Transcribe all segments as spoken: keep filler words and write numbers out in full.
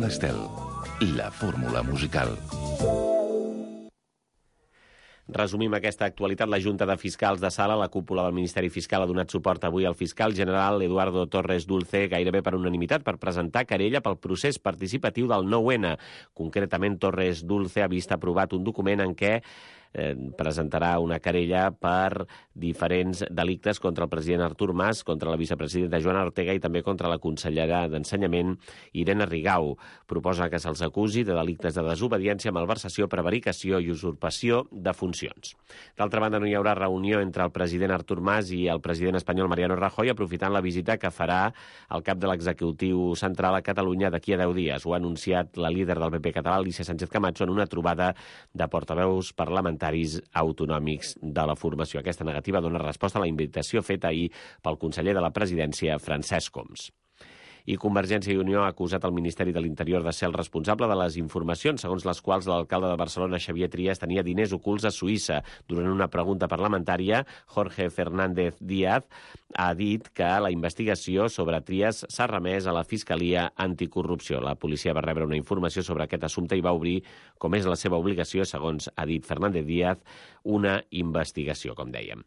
Fórmula Estel, la fórmula musical. Resumim aquesta actualitat. La Junta de Fiscals de Sala, la cúpula del Ministeri Fiscal, ha donat suport avui al fiscal general Eduardo Torres Dulce gairebé per unanimitat per presentar querella pel procés participatiu del nou ene. Concretament, Torres Dulce ha vist aprovat un document en què eh, presentarà una querella per diferents delictes contra el president Artur Mas, contra la vicepresidenta Joana Ortega i també contra la consellera d'Ensenyament Irene Rigau. Proposa que se'ls acusi de delictes de desobediència, malversació, prevaricació i usurpació de funcions. D'altra banda, no hi haurà reunió entre el president Artur Mas i el president espanyol Mariano Rajoy, aprofitant la visita que farà el cap de l'executiu central a Catalunya d'aquí a deu dies. Ho ha anunciat la líder del P P català, Alicia Sánchez Camacho, en una trobada de portaveus parlamentaris autonòmics de la formació. Aquesta negativa dona resposta a la invitació feta ahir pel conseller de la presidència, Francesc Homs. I Convergència i Unió ha acusat el Ministeri de l'Interior de ser el responsable de les informacions segons les quals l'alcalde de Barcelona, Xavier Trias, tenia diners ocults a Suïssa. Durant una pregunta parlamentària, Jorge Fernández Díaz ha dit que la investigació sobre Trias s'ha remès a la Fiscalia Anticorrupció. La policia va rebre una informació sobre aquest assumpte i va obrir, com és la seva obligació, segons ha dit Fernández Díaz, una investigació, com dèiem.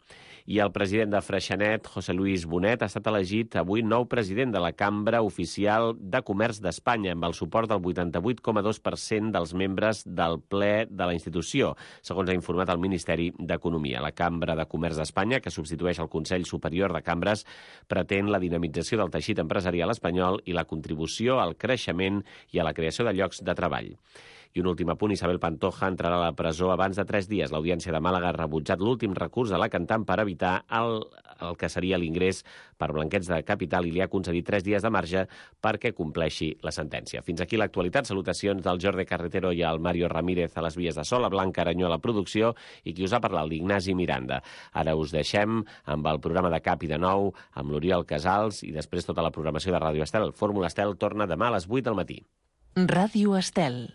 I el president de Freixenet, José Luis Bonet, ha estat elegit avui nou president de la Cambra Oficial de Comerç d'Espanya, amb el suport del vuitanta-vuit coma dos per cent dels membres del ple de la institució, segons ha informat el Ministeri d'Economia. La Cambra de Comerç d'Espanya, que substitueix el Consell Superior de Cambres, pretén la dinamització del teixit empresarial espanyol i la contribució al creixement i a la creació de llocs de treball. I un últim apunt, Isabel Pantoja entrarà a la presó abans de tres dies. L'Audiència de Màlaga ha rebutjat l'últim recurs de la cantant per evitar el, el que seria l'ingrés per blanqueig de capital i li ha concedit tres dies de marge perquè compleixi la sentència. Fins aquí l'actualitat. Salutacions del Jordi Carretero i al Mario Ramírez a les vies de so, la Blanca Aranyó a la producció i qui us ha parlat, l'Ignasi Miranda. Ara us deixem amb el programa de Cap i de Nou, amb l'Oriol Casals i després tota la programació de Ràdio Estel. Fórmula Estel torna demà a les vuit del matí. Ràdio Estel.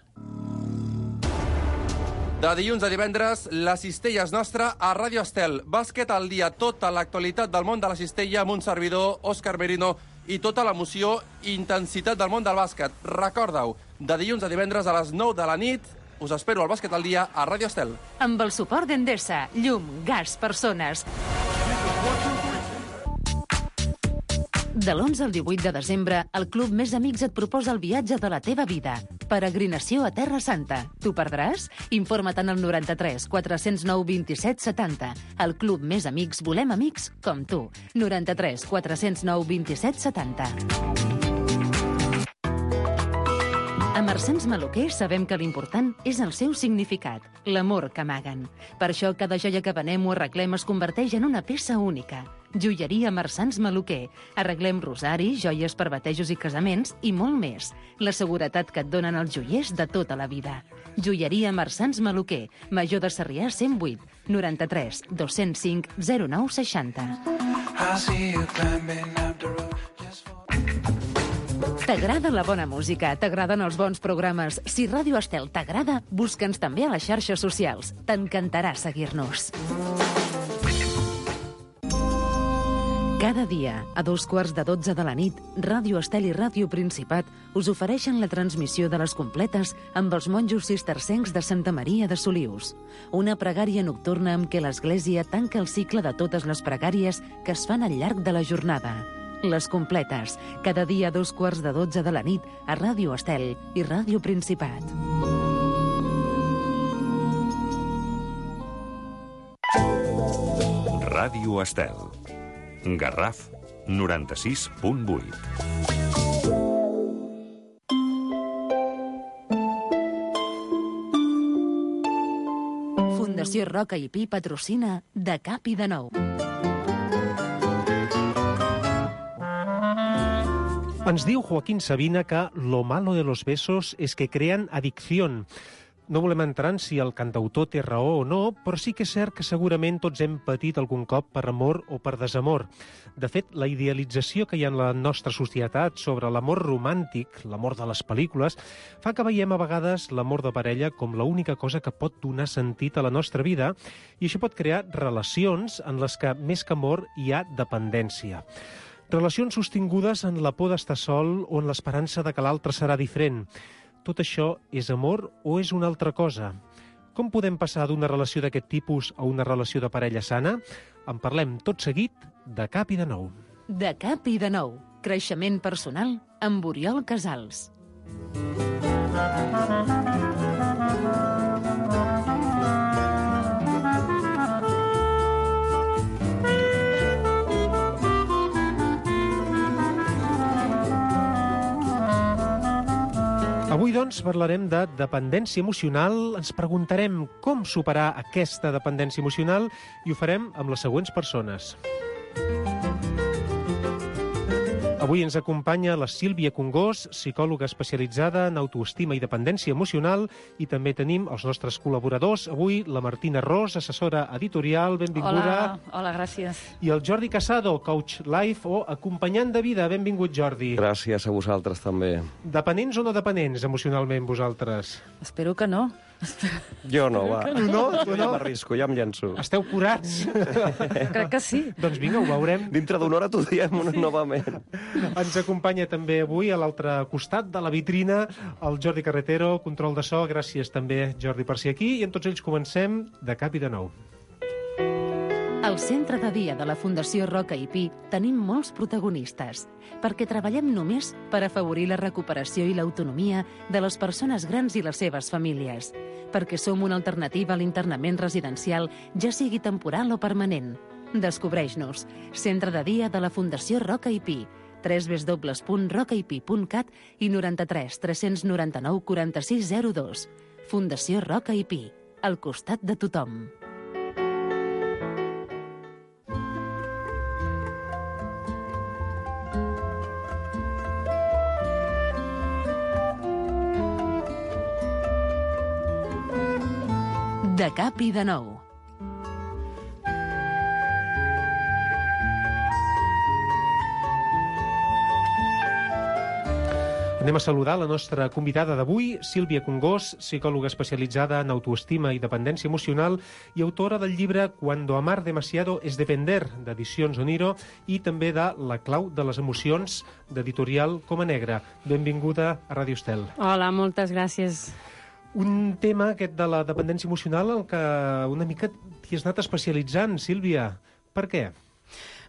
De dilluns a divendres, la cistella és nostra a Ràdio Estel. Bàsquet al dia, tota l'actualitat del món de la cistella amb un servidor, Òscar Merino, i tota l'emoció i intensitat del món del bàsquet. Recorda-ho, de dilluns a divendres a les nou de la nit, us espero al Bàsquet al dia a Ràdio Estel. Amb el suport d'Endesa, llum, gas, persones. De l'onze al divuit de desembre, el Club Més Amics et proposa el viatge de la teva vida. Peregrinació a Terra Santa. T'ho perdràs? Informa't en el noranta-tres quatre-cents nou vint-i-set setanta. El Club Més Amics volem amics com tu. noranta-tres quatre-cents nou vint-i-set setanta. A Marsans Maluquer sabem que l'important és el seu significat, l'amor que amaguen. Per això cada joia que venem o arreglem es converteix en una peça única. Joieria Marsans Maluquer. Arreglem rosaris, joies per batejos i casaments i molt més. La seguretat que et donen els joiers de tota la vida. Joieria Marsans Maluquer. Major de Sarrià cent vuit, noranta-tres dos-cents cinc zero nou seixanta. T'agrada la bona música? T'agraden els bons programes? Si Ràdio Estel t'agrada, busca'ns també a les xarxes socials. T'encantarà seguir-nos. Cada dia, a dos quarts de dotze de la nit, Ràdio Estel i Ràdio Principat us ofereixen la transmissió de les completes amb els monjos cistercencs de Santa Maria de Solius. Una pregària nocturna amb què l'Església tanca el cicle de totes les pregàries que es fan al llarg de la jornada. Les completes, cada dia a dos quarts de dotze de la nit a Ràdio Estel i Ràdio Principat. Ràdio Estel. Garraf, noranta-sis punt vuit. Fundació Roca i Pi patrocina De Cap i de Nou. Ens diu Joaquín Sabina que lo malo de los besos es que crean adicción. No volem entrar en si el cantautor té raó o no, però sí que és cert que segurament tots hem patit algun cop per amor o per desamor. De fet, la idealització que hi ha en la nostra societat sobre l'amor romàntic, l'amor de les pel·lícules, fa que veiem a vegades l'amor de parella com l'única cosa que pot donar sentit a la nostra vida i això pot crear relacions en les que, més que amor, hi ha dependència. Relacions sostingudes en la por d'estar sol o en l'esperança de que l'altre serà diferent. Tot això és amor o és una altra cosa? Com podem passar d'una relació d'aquest tipus a una relació de parella sana? En parlem tot seguit de Cap i de Nou. De Cap i de Nou. Creixement personal amb Oriol Casals. Avui, doncs, parlarem de dependència emocional. Ens preguntarem com superar aquesta dependència emocional i ho farem amb les següents persones. Avui ens acompanya la Sílvia Congós, psicòloga especialitzada en autoestima i dependència emocional, i també tenim els nostres col·laboradors. Avui la Martina Ros, assessora editorial, benvinguda. Hola, hola, gràcies. I el Jordi Casado, coach life o acompanyant de vida. Benvingut, Jordi. Gràcies a vosaltres també. Dependents o no dependents emocionalment, vosaltres? Espero que no. Jo no, va. No, no, Jo ja m'arrisco, ja em llenço. Esteu curats? Crec que sí. Doncs vinga, ho veurem. Dintre d'una hora t'ho diem novament. Ens acompanya també avui a l'altre costat de la vitrina el Jordi Carretero, control de so. Gràcies també, Jordi, per ser aquí. I amb tots ells comencem de Cap i de Nou. Al centre de dia de la Fundació Roca i Pi tenim molts protagonistes, perquè treballem només per afavorir la recuperació i l'autonomia de les persones grans i les seves famílies, perquè som una alternativa a l'internament residencial, ja sigui temporal o permanent. Descobreix-nos. Centre de dia de la Fundació Roca i Pi. w w w punt roca i pi punt cat i noranta-tres tres noranta-nou quaranta-sis zero dos. Fundació Roca i Pi. Al costat de tothom. De Cap i de Nou. Anem a saludar la nostra convidada d'avui, Sílvia Congós, psicòloga especialitzada en autoestima i dependència emocional i autora del llibre Cuando amar demasiado es depender, d'Edicions Oniro, i també de La clau de les emocions, d'editorial Coma Negra. Benvinguda a Ràdio Estel. Hola, moltes gràcies. Un tema, aquest de la dependència emocional, en què una mica t'hi has anat especialitzant, Sílvia. Per què?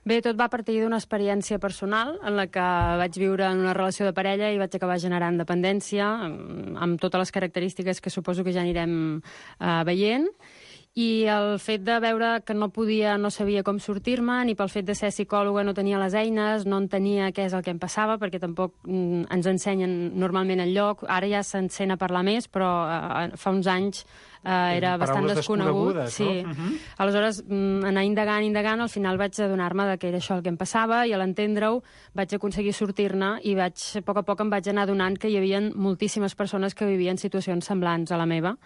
Bé, tot va partir d'una experiència personal en la que vaig viure en una relació de parella i vaig acabar generant dependència, amb totes les característiques que suposo que ja anirem eh, veient. I el fet de veure que no podia, no sabia com sortir-me, ni pel fet de ser psicòloga no tenia les eines, no entenia què és el que em passava, perquè tampoc mm, ens ensenyen normalment el lloc. Ara ja s'encén a parlar més, però eh, fa uns anys eh, era bastant desconegut. Sí. No? Uh-huh. Aleshores, mm, anar indagant, indagant, al final vaig adonar-me de que era això el que em passava, i a l'entendre-ho vaig aconseguir sortir-ne, i vaig, a poc a poc em vaig anar adonant que hi havia moltíssimes persones que vivien situacions semblants a la meva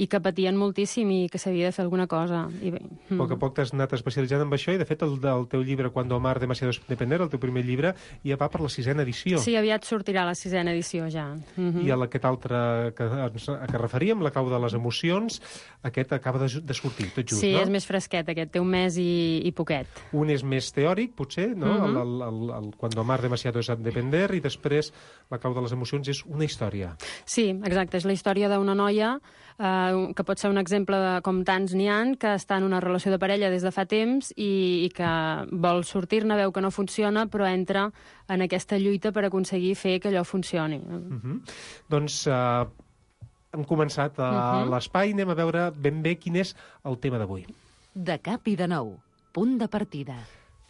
i que patien moltíssim i que s'havia de fer alguna cosa. I bé, a poc a poc t'has anat especialitzant en això, i de fet el, el teu llibre Cuando amar demasiado es depender, el teu primer llibre, ja va per la sisena edició. Sí, aviat sortirà la sisena edició ja. Uh-huh. I aquest altre que, a què referíem, La clau de les emocions, aquest acaba de, de sortir, tot just, sí, no? Sí, és més fresquet aquest, té un mes i, i poquet. Un és més teòric, potser, no? Uh-huh. el, el, el, el Cuando amar demasiado es depender, i després La clau de les emocions és una història. Sí, exacte, és la història d'una noia eh, que pot ser un exemple de com tants n'hi ha, que està en una relació de parella des de fa temps i, i que vol sortir-ne, veu que no funciona, però entra en aquesta lluita per aconseguir fer que allò funcioni. Uh-huh. Doncs uh, hem començat a uh-huh. l'espai, anem a veure ben bé quin és el tema d'avui. De Cap i de Nou. Punt de partida.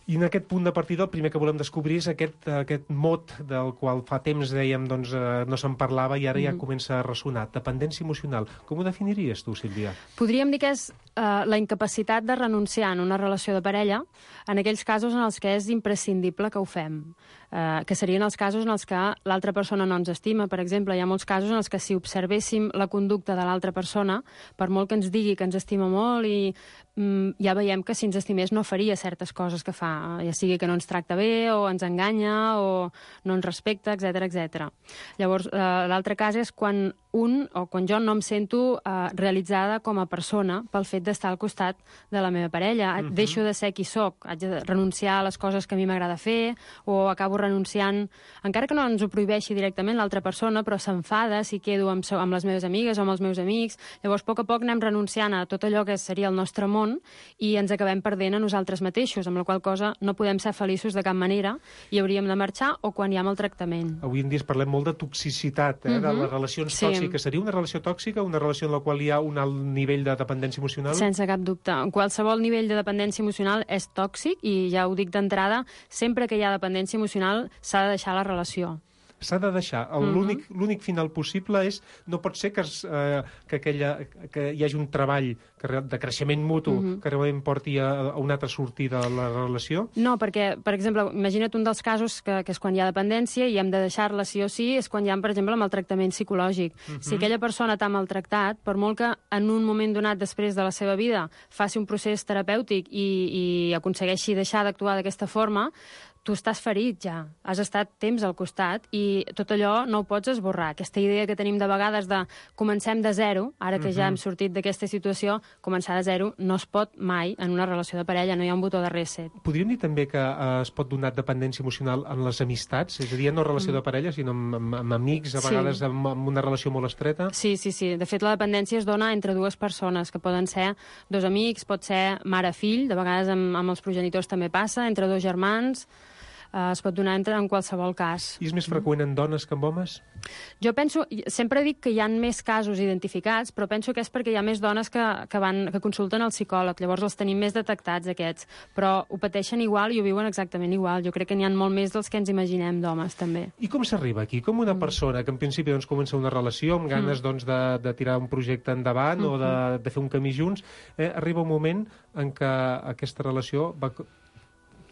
I en aquest punt de partida el primer que volem descobrir és aquest, aquest mot del qual fa temps dèiem doncs, eh, no se'n parlava i ara ja Mm. comença a ressonar. Dependència emocional. Com ho definiries tu, Sílvia? Podríem dir que és eh, la incapacitat de renunciar en una relació de parella en aquells casos en els que és imprescindible que ho fem. Eh, que serien els casos en els que l'altra persona no ens estima. Per exemple, hi ha molts casos en els que si observéssim la conducta de l'altra persona, per molt que ens digui que ens estima molt, i mm, ja veiem que si ens estimés no faria certes coses que fa, ja sigui que no ens tracta bé, o ens enganya, o no ens respecta, etcètera, etcètera. Llavors, eh, l'altre cas és quan un, o quan jo no em sento eh, realitzada com a persona pel fet d'estar al costat de la meva parella. Uh-huh. Deixo de ser qui sóc, haig de renunciar a les coses que a mi m'agrada fer, o acabo renunciant, encara que no ens ho prohibeixi directament l'altra persona, però s'enfada si quedo amb, amb les meves amigues o amb els meus amics. Llavors, a poc a poc anem renunciant a tot allò que seria el nostre món i ens acabem perdent a nosaltres mateixos, amb la qual cosa no podem ser feliços de cap manera i hauríem de marxar o quan hi ha maltractament. Avui en dia parlem molt de toxicitat, eh, uh-huh. de les relacions sí. tòxiques. Seria una relació tòxica, una relació en la qual hi ha un alt nivell de dependència emocional? Sense cap dubte. Qualsevol nivell de dependència emocional és tòxic i ja ho dic d'entrada, sempre que hi ha dependència emocional s'ha de deixar la relació. S'ha de deixar. L'únic uh-huh. l'únic final possible és... No pot ser que, es, eh, que, aquella, que hi hagi un treball que, de creixement mutu uh-huh. que realment porti a, a una altra sortida de la relació? No, perquè, per exemple, imagina't un dels casos que, que és quan hi ha dependència i hem de deixar-la sí o sí, és quan hi ha, per exemple, maltractament psicològic. Uh-huh. Si aquella persona t'ha maltractat, per molt que en un moment donat després de la seva vida faci un procés terapèutic i, i aconsegueixi deixar d'actuar d'aquesta forma, tu estàs ferit ja, has estat temps al costat i tot allò no ho pots esborrar. Aquesta idea que tenim de vegades de comencem de zero, ara que uh-huh. ja hem sortit d'aquesta situació, començar de zero no es pot mai en una relació de parella, no hi ha un botó de reset. Podríem dir també que eh, es pot donar dependència emocional en les amistats? És a dir, no relació mm. de parella, sinó amb, amb, amb amics, a vegades sí. amb, amb una relació molt estreta? Sí, sí, sí. De fet, la dependència es dona entre dues persones, que poden ser dos amics, pot ser mare-fill, de vegades amb, amb els progenitors també passa, entre dos germans... Uh, es pot donar entre, en qualsevol cas. I és més freqüent en dones que en homes? Jo penso, sempre dic que hi ha més casos identificats, però penso que és perquè hi ha més dones que, que, van, que consulten el psicòleg, llavors els tenim més detectats, aquests, però ho pateixen igual i ho viuen exactament igual. Jo crec que n'hi ha molt més dels que ens imaginem d'homes, també. I com s'arriba aquí? Com una Mm. persona que en principi doncs, comença una relació amb ganes Mm. doncs, de, de tirar un projecte endavant mm-hmm. o de, de fer un camí junts, eh, arriba un moment en què aquesta relació va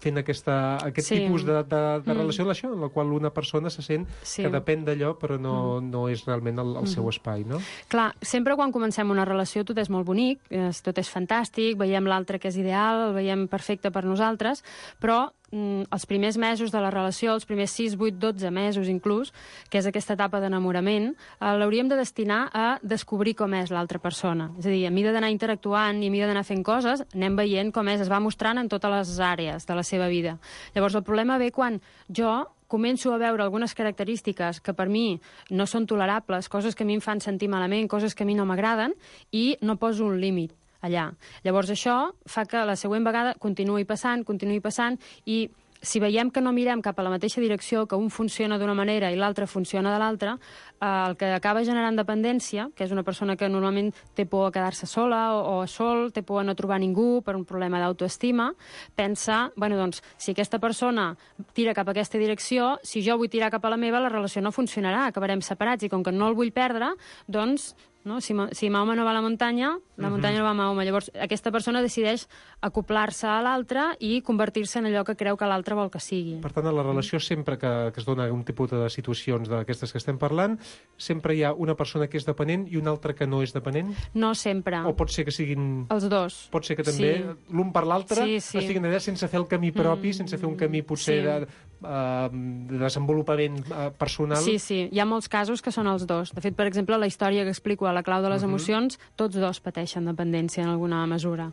fent aquesta, aquest Sí. tipus de, de, de Mm. relació en la qual una persona se sent Sí. que depèn d'allò però no, Mm. no és realment el, el seu espai, no? Clar, sempre quan comencem una relació tot és molt bonic, és, tot és fantàstic, veiem l'altre que és ideal, el veiem perfecte per nosaltres, però mm, els primers mesos de la relació, els primers sis, vuit, dotze mesos inclús, que és aquesta etapa d'enamorament, eh, l'hauríem de destinar a descobrir com és l'altra persona. És a dir, a mesura d'anar interactuant i a mesura d'anar fent coses, anem veient com és, es va mostrant en totes les àrees de la seva vida. Llavors, el problema ve quan jo començo a veure algunes característiques que per mi no són tolerables, coses que a mi em fan sentir malament, coses que a mi no m'agraden, i no poso un límit allà. Llavors això fa que la següent vegada continuï passant, continuï passant, i si veiem que no mirem cap a la mateixa direcció, que un funciona d'una manera i l'altre funciona de l'altra, eh, el que acaba generant dependència, que és una persona que normalment té por a quedar-se sola o, o sol, té por a no trobar ningú per un problema d'autoestima, pensa, bueno, doncs, si aquesta persona tira cap a aquesta direcció, si jo vull tirar cap a la meva, la relació no funcionarà, acabarem separats, i com que no el vull perdre, doncs... No? Si, si Mahoma no va a la muntanya, la muntanya no va a Mahoma. Llavors, aquesta persona decideix acoplar-se a l'altre i convertir-se en allò que creu que l'altre vol que sigui. Per tant, a la relació, sempre que, que es dona un tipus de situacions d'aquestes que estem parlant, sempre hi ha una persona que és dependent i una altra que no és dependent? No sempre. O pot ser que siguin... Els dos. Pot ser que també Sí. l'un per l'altre Sí, sí. estiguin allà sense fer el camí propi, Mm, sense fer un camí potser sí. de, uh, de desenvolupament uh, personal. Sí, sí. Hi ha molts casos que són els dos. De fet, per exemple, la història que explico a La clau de les Mhm. emocions, tots dos pateixen dependència en alguna mesura.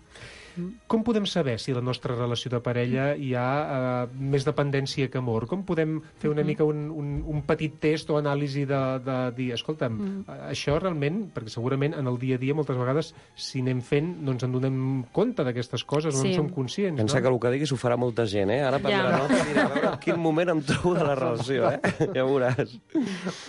Com podem saber si la nostra relació de parella hi ha uh, més dependència que amor? Com podem fer una mica un, un, un petit test o anàlisi de, de dir, escolta'm, mm. això realment, perquè segurament en el dia a dia moltes vegades si anem fent no ens en donem compte d'aquestes coses, no Sí. en som conscients. Pensa no? que el que diguis ho farà molta gent, eh? Ara prendrà Ja. nota i dirà, a veure en quin moment em trobo de la relació, eh? Ja veuràs.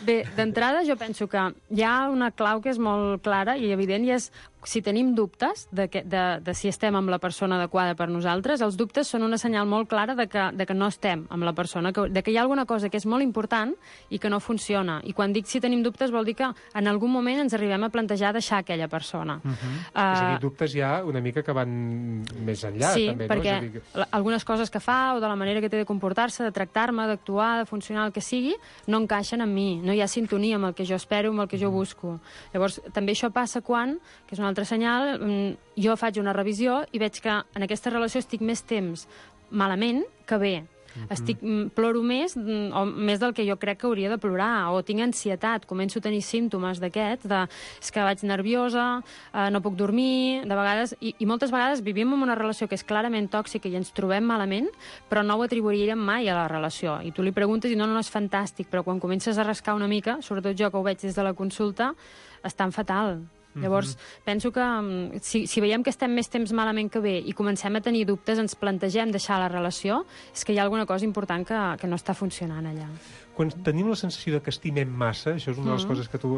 Bé, d'entrada jo penso que hi ha una clau que és molt clara i evident, i és si tenim dubtes de, que, de, de si estem amb la persona adequada per nosaltres, els dubtes són una senyal molt clara de que, de que no estem amb la persona, que, de que hi ha alguna cosa que és molt important i que no funciona. I quan dic si tenim dubtes vol dir que en algun moment ens arribem a plantejar deixar aquella persona. Uh -huh. Uh, És a dir, dubtes ja una mica que van més enllà, sí, també, perquè no? És a dir que... la- algunes coses que fa o de la manera que té de comportar-se, de tractar-me, d'actuar, de funcionar, el que sigui, no encaixen amb mi. No hi ha sintonia amb el que jo espero, amb el que jo busco. Llavors, també això passa quan, que és un altre senyal, mm, jo faig una revisió i veig que en aquesta relació estic més temps malament que bé. Mm-hmm. Estic, ploro més, o més del que jo crec que hauria de plorar, o tinc ansietat, començo a tenir símptomes d'aquests, de és que vaig nerviosa, eh, no puc dormir, de vegades, i, i moltes vegades vivim en una relació que és clarament tòxica i ens trobem malament, però no ho atribuiríem mai a la relació. I tu li preguntes i no, no, no és fantàstic, però quan comences a rascar una mica, sobretot jo que ho veig des de la consulta, estan fatal. Llavors, mm-hmm. penso que si, si veiem que estem més temps malament que bé i comencem a tenir dubtes, ens plantegem deixar la relació, és que hi ha alguna cosa important que, que no està funcionant allà. Quan tenim la sensació de que estimem massa, això és una de les mm. coses que tu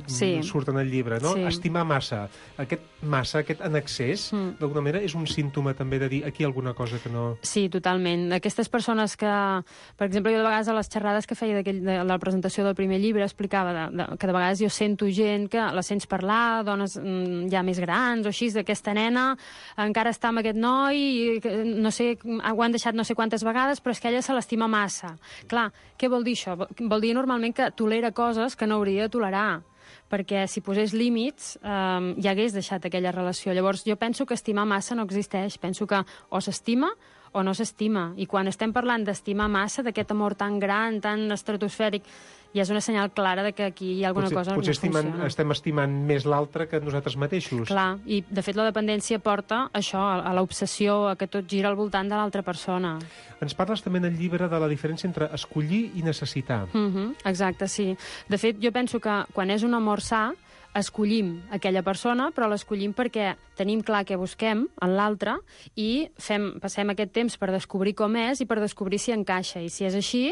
sí. surt en el llibre, no? Sí. Estimar massa. Aquest massa, aquest en excés, mm. d'alguna manera, és un símptoma també de dir aquí hi ha alguna cosa que no... Sí, totalment. Aquestes persones que, per exemple, jo de vegades a les xerrades que feia de la presentació del primer llibre explicava de, de, que de vegades jo sento gent que la sents parlar, dones mm, ja més grans o així, d'aquesta nena encara està amb aquest noi i no sé, ho han deixat no sé quantes vegades, però és que ella se l'estima massa. Clar, què vol dir això? Vol dir normalment que tolera coses que no hauria de tolerar, perquè si posés límits eh, ja hagués deixat aquella relació. Llavors jo penso que estimar massa no existeix, penso que o s'estima o no s'estima, i quan estem parlant d'estimar massa, d'aquest amor tan gran, tan estratosfèric, ja és una senyal clara de que aquí hi ha alguna potser, cosa potser que no funciona. Potser estem estimant més l'altre que nosaltres mateixos. Clar, i de fet la dependència porta això, a l'obsessió, a que tot gira al voltant de l'altra persona. Ens parles també en el llibre de la diferència entre escollir i necessitar. Mm-hmm, exacte, sí. De fet, jo penso que quan és un amor sa, escollim aquella persona, però l'escollim perquè tenim clar què busquem en l'altre i fem, passem aquest temps per descobrir com és i per descobrir si encaixa. I si és així,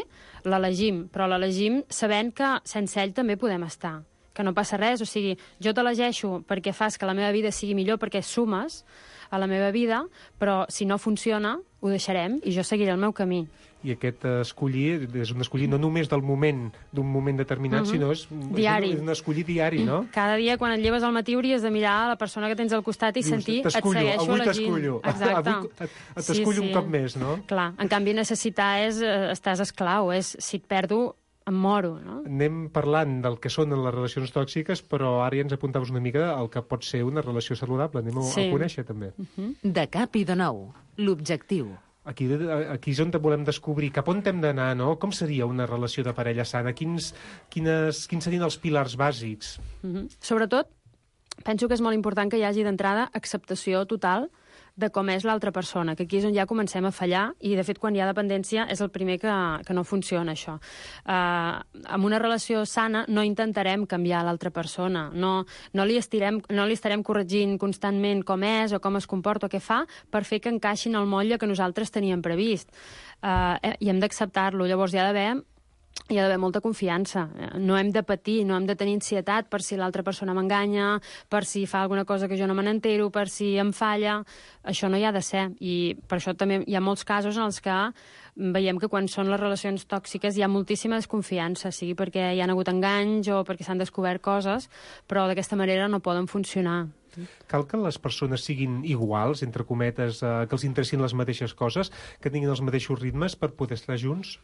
l'elegim, però l'elegim sabent que sense ell també podem estar, que no passa res. O sigui, jo t'elegeixo perquè fas que la meva vida sigui millor, perquè sumes a la meva vida, però si no funciona, ho deixarem i jo seguiré el meu camí. I aquest escollir és un escollir no només del moment, d'un moment determinat, mm-hmm. sinó és, diari. és un escollir diari, no? Cada dia, quan et lleves al matí, hauries de mirar a la persona que tens al costat i sentir, et segueixo avui elegint. T'escullo, Exacte. avui t'escullo sí, sí. un cop més, no? Clar, en canvi necessitar és, estàs esclau, és si et perdo, em moro, no? Anem parlant del que són les relacions tòxiques, però ara ja ens apuntaves una mica al que pot ser una relació saludable. Anem sí. a conèixer, també. Uh-huh. De cap i de nou, l'objectiu. Aquí, aquí és on volem descobrir cap on hem d'anar, no? Com seria una relació de parella sana? Quins, quines, quins serien els pilars bàsics? Uh-huh. Sobretot, penso que és molt important que hi hagi d'entrada acceptació total de com és l'altra persona, que aquí és on ja comencem a fallar, i de fet quan hi ha dependència és el primer que, que no funciona això. Uh, en una relació sana no intentarem canviar l'altra persona, no, no, li estirem, no li estarem corregint constantment com és o com es comporta o què fa per fer que encaixin el motlle que nosaltres teníem previst. Uh, I hem d'acceptar-lo, llavors hi ha d'haver hi ha d'haver molta confiança. No hem de patir, no hem de tenir ansietat per si l'altra persona m'enganya, per si fa alguna cosa que jo no me n'entero, per si em falla. Això no hi ha de ser. I per això també hi ha molts casos en els que veiem que quan són les relacions tòxiques hi ha moltíssima desconfiança, sigui perquè hi ha hagut enganys o perquè s'han descobert coses, però d'aquesta manera no poden funcionar. Cal que les persones siguin iguals, entre cometes, eh, que els interessin les mateixes coses, que tinguin els mateixos ritmes per poder estar junts?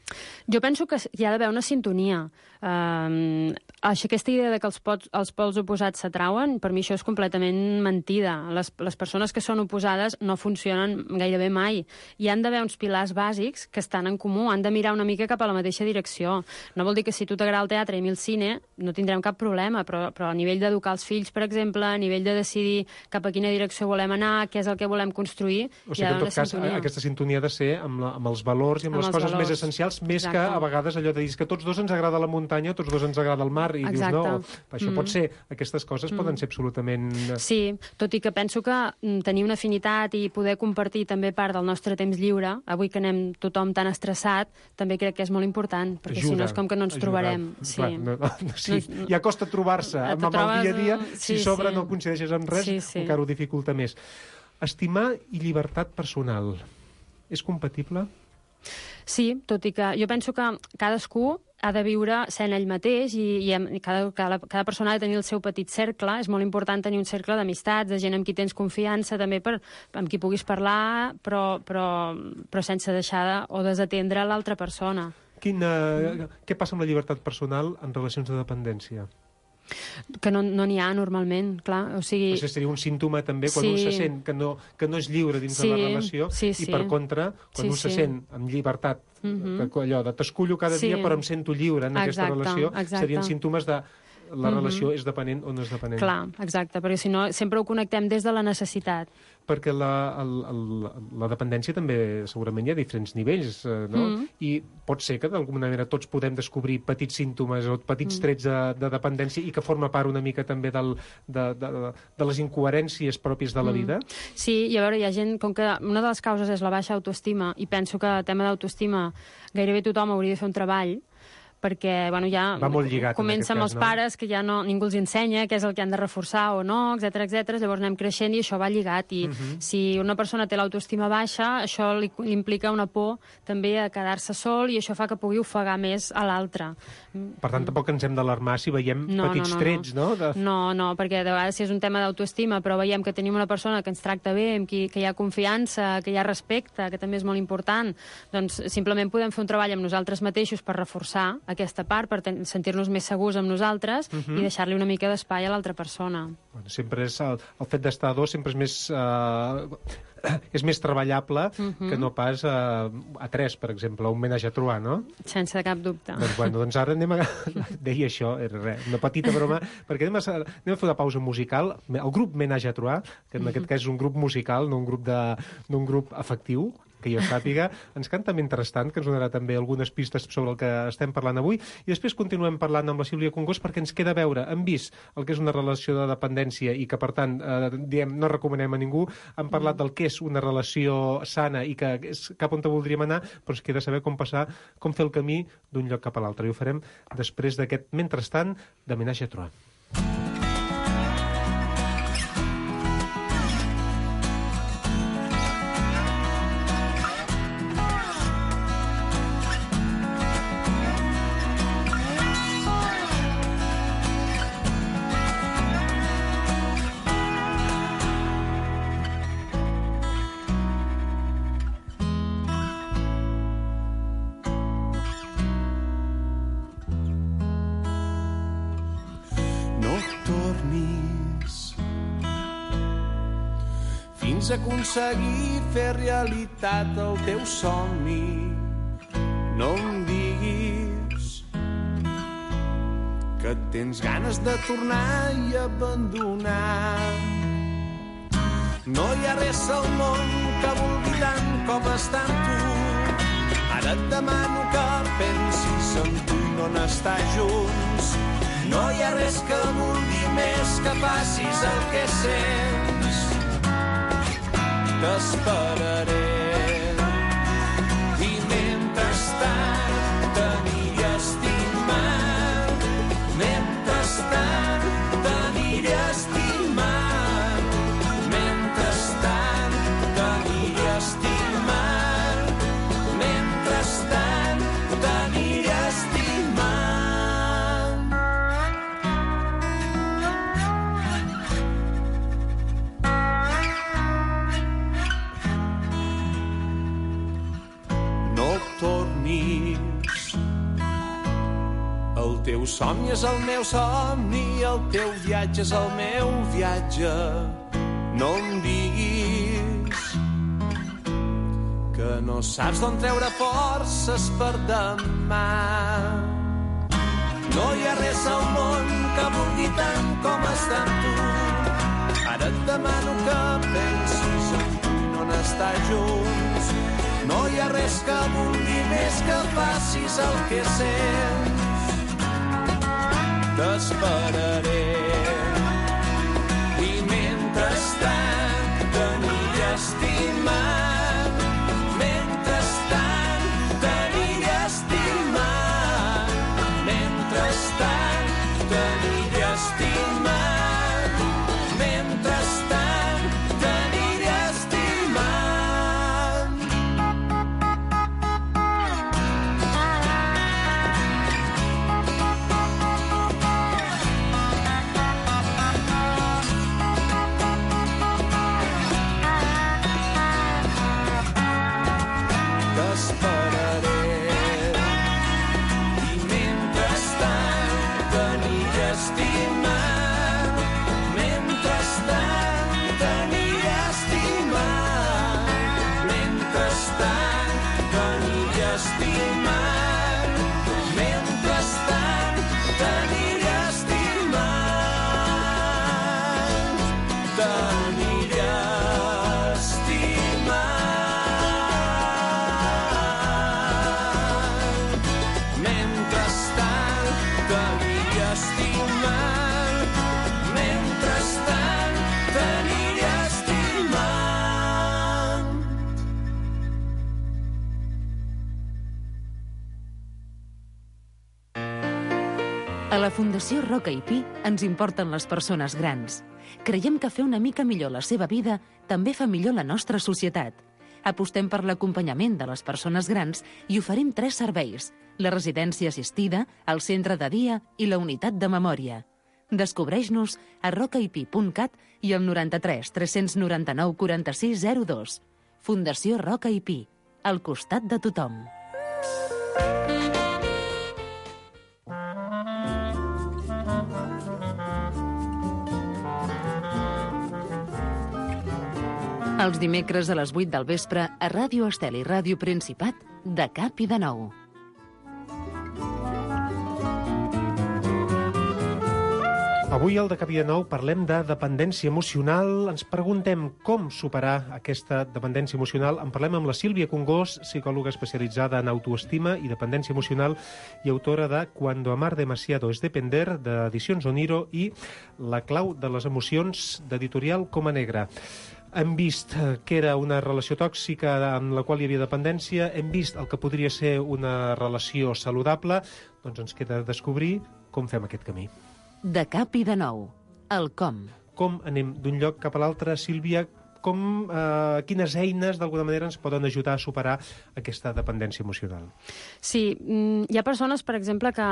Jo penso que hi ha d'haver una sintonia. Uh, aquesta idea de que els, pots, els pols oposats s'atrauen, per mi això és completament mentida. Les, les persones que són oposades no funcionen gairebé mai. Hi han d'haver uns pilars bàsics que estan en comú, han de mirar una mica cap a la mateixa direcció. No vol dir que si tu t'agrada el teatre i a mi el cine no tindrem cap problema, però, però a nivell d'educar els fills, per exemple, a nivell de decidir cap a quina direcció volem anar, què és el que volem construir, o sigui, hi ha d'haver una cas, sintonia. Aquesta sintonia ha de ser amb, la, amb els valors i amb, amb les coses valors. Més essencials, més Exacte. Que a vegades allò de dir que tots dos ens agrada la muntanya, tots dos ens agrada el mar, i Exacte. Dius, no, això mm. pot ser, aquestes coses mm. poden ser absolutament... Sí, tot i que penso que tenir una afinitat i poder compartir també part del nostre temps lliure, avui que anem tothom tan estressat, també crec que és molt important, perquè ajuda, si no és com que no ens ajuda. Trobarem. Sí. Clar, no, no, sí. No, ja costa trobar-se amb, amb el dia a dia, si sí, sobre sí. no coincideixes amb res, sí, sí. encara ho dificulta més. Estimar i llibertat personal, és compatible? Sí, tot i que jo penso que cadascú ha de viure sent ell mateix i, i cada, cada, cada persona ha de tenir el seu petit cercle. És molt important tenir un cercle d'amistats, de gent amb qui tens confiança, també per, amb qui puguis parlar, però, però, però sense deixar de, o desatendre l'altra persona. Quina, mm. Què passa amb la llibertat personal en relacions de dependència? que no n'hi no ha normalment, clar. O sigui... Això seria un símptoma també quan sí. un se sent que no, que no és lliure dins sí. de la relació sí, sí. i per contra, quan sí, un se sí. sent amb llibertat, mm-hmm. que, allò de t'escullo cada sí. dia però em sento lliure en exacte, aquesta relació, exacte. serien símptomes de la relació mm-hmm. és dependent o no és dependent. Clar, exacte, perquè si no sempre ho connectem des de la necessitat. Perquè la, el, el, la dependència també segurament hi ha diferents nivells, eh, no? Mm. I pot ser que d'alguna manera tots podem descobrir petits símptomes o petits mm. trets de, de dependència i que forma part una mica també del, de, de, de, de les incoherències pròpies de la mm. vida. Sí, i a veure, hi ha gent, com que una de les causes és la baixa autoestima, i penso que el tema d'autoestima gairebé tothom hauria de fer un treball, perquè bueno, ja va molt lligat, comença amb els cas, no? pares, que ja no, ningú els ensenya què és el que han de reforçar o no, etcètera, etcètera. Llavors anem creixent i això va lligat. I uh-huh. si una persona té l'autoestima baixa, això li, li implica una por també a quedar-se sol i això fa que pugui ofegar més a l'altre. Per tant, tampoc ens hem d'alarmar si veiem no, petits no, no, trets, no? De... No, no, perquè de vegades si és un tema d'autoestima, però veiem que tenim una persona que ens tracta bé, amb qui que hi ha confiança, que hi ha respecte, que també és molt important, doncs simplement podem fer un treball amb nosaltres mateixos per reforçar aquesta part, per sentir-nos més segurs amb nosaltres uh-huh. i deixar-li una mica d'espai a l'altra persona. Bueno, sempre és el, el fet d'estar a dos sempre és més uh, és més treballable uh-huh. que no pas uh, a tres, per exemple, un menatge a trobar, no? Sense cap dubte. Doncs, bueno, doncs ara anem a... Deia això, era res, una petita broma, perquè anem a, anem a fer una pausa musical. El grup Menatge a trobar, que en uh-huh. aquest cas és un grup musical, no un grup, de, no un grup afectiu, que jo sàpiga, ens canta mentrestant, que ens donarà també algunes pistes sobre el que estem parlant avui, i després continuem parlant amb la Sílvia Congost perquè ens queda a veure, hem vist el que és una relació de dependència i que, per tant, eh, diem, no recomanem a ningú, hem parlat del que és una relació sana i que és cap on te voldríem anar, però ens queda saber com passar, com fer el camí d'un lloc cap a l'altre, i ho farem després d'aquest mentrestant de Menatge a trobar. Aconseguir fer realitat el teu somni. No em diguis que tens ganes de tornar i abandonar. No hi ha res al món que vulgui tant com estar amb tu. Ara et demano que pensis en tu i no n'estar junts. No hi ha res que vulgui més que facis el que sents. T'esperaré i mentrestant t'aniré estimant, mentrestant t'aniré estimant, mentrestant t'aniré estimant, mentrestant t'aniré estimant. El teu somni és el meu somni, el teu viatge és el meu viatge. No em diguis que no saps d'on treure forces per demà. No hi ha res al món que vulgui tant com estar amb tu. Ara et demano que pensis en tu i no n'estar junts. No hi ha res que vulgui més que facis el que sents. T'esperaré i mentrestant t'aniré estimant, mentrestant t'aniré estimant, mentrestant t'aniré estimant, mentrestant t'aniré estimant. A la Fundació Roca i Pi ens importen les persones grans. Creiem que fer una mica millor la seva vida també fa millor la nostra societat. Apostem per l'acompanyament de les persones grans i oferim tres serveis: la residència assistida, el centre de dia i la unitat de memòria. Descobreix-nos a rocaipi punt cat i al noranta-tres tres noranta-nou quaranta-sis zero dos. Fundació Roca i Pi, al costat de tothom. Els dimecres a les vuit del vespre a Ràdio Estel i Ràdio Principat, de cap i de nou. Avui al De Cap i de Nou parlem de dependència emocional. Ens preguntem com superar aquesta dependència emocional. En parlem amb la Sílvia Congós, psicòloga especialitzada en autoestima i dependència emocional i autora de Cuando amar demasiado es depender, d'Edicions Oniro, i La clau de les emocions, d'editorial Coma Negra. Hem vist que era una relació tòxica en la qual hi havia dependència, hem vist el que podria ser una relació saludable, doncs ens queda descobrir com fem aquest camí. De cap i de nou, el com. Com anem d'un lloc cap a l'altre, Sílvia? Com, eh, quines eines, d'alguna manera, ens poden ajudar a superar aquesta dependència emocional? Sí, hi ha persones, per exemple, que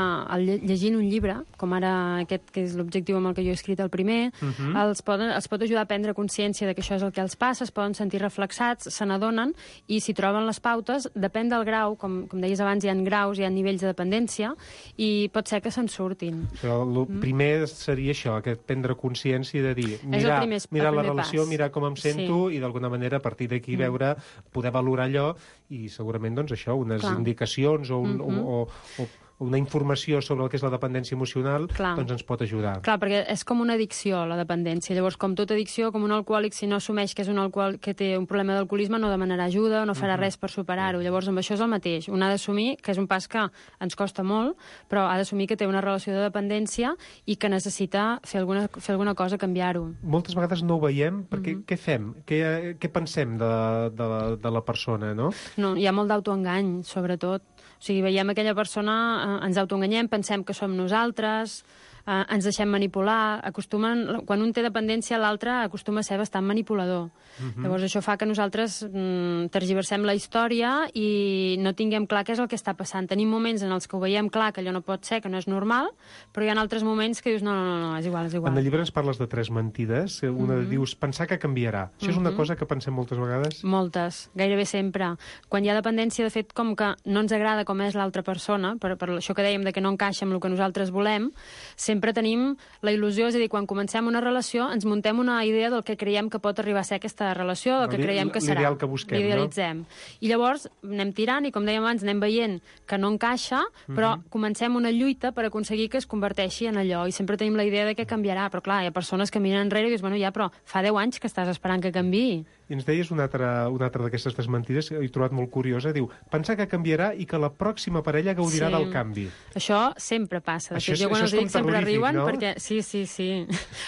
llegint un llibre, com ara aquest, que és l'objectiu amb el que jo he escrit el primer, uh-huh. els, poden, els pot ajudar a prendre consciència de que això és el que els passa, es poden sentir reflexats, se n'adonen, i si troben les pautes, depèn del grau, com, com deies abans, hi ha graus, hi ha nivells de dependència, i pot ser que se'n surtin. Però el mm. primer seria això, aquest prendre consciència de dir, mirar, primer, mirar la pas. relació, mirar com em sento, sí. i d'alguna manera a partir d'aquí veure, poder valorar allò i segurament doncs això, unes Clar. indicacions o, un, mm-hmm. o, o, o una informació sobre el que és la dependència emocional, Clar. doncs ens pot ajudar. Clar, perquè és com una addicció, la dependència. Llavors, com tota addicció, com un alcohòlic, si no assumeix que és un alcohòlic que té un problema d'alcoholisme, no demanarà ajuda, no farà uh-huh. res per superar-ho. Llavors, amb això és el mateix. Un ha d'assumir que és un pas que ens costa molt, però ha d'assumir que té una relació de dependència i que necessita fer alguna, fer alguna cosa, canviar-ho. Moltes vegades no ho veiem, perquè uh-huh. què fem? Què, què pensem de, de, de la persona, no? No, hi ha molt d'autoengany, sobretot. O sigui, veiem aquella persona, eh, ens autoenganyem, pensem que som nosaltres, eh, ens deixem manipular, acostumen, quan un té dependència, l'altre acostuma a ser bastant manipulador. Uh-huh. Llavors això fa que nosaltres mm, tergiversem la història i no tinguem clar què és el que està passant. Tenim moments en els que ho veiem clar, que allò no pot ser, que no és normal, però hi ha altres moments que dius, no, no, no, no és igual, és igual. En el llibre ens parles de tres mentides. Una uh-huh. dius, pensar que canviarà. Això és una uh-huh. cosa que pensem moltes vegades? Moltes, gairebé sempre. Quan hi ha dependència, de fet, com que no ens agrada com és l'altra persona, per, per això que dèiem de que no encaixa amb el que nosaltres volem, sempre tenim la il·lusió, és a dir, quan comencem una relació ens muntem una idea del que creiem que pot arribar a ser aquesta relació, del que creiem que serà. L'ideal que busquem, L'idealitzem. no? I llavors anem tirant i, com dèiem abans, anem veient que no encaixa, però uh-huh. comencem una lluita per aconseguir que es converteixi en allò, i sempre tenim la idea de que canviarà, però clar, hi ha persones que miren enrere i dius, bueno, ja, però fa deu anys que estàs esperant que canviï. I ens deies una altra, una altra d'aquestes tres mentides que he trobat molt curiosa. Diu, pensar que canviarà i que la pròxima parella gaudirà sí. del canvi. Això sempre passa. De això fet, jo quan els dic sempre riuen, no? Perquè sí, sí, sí.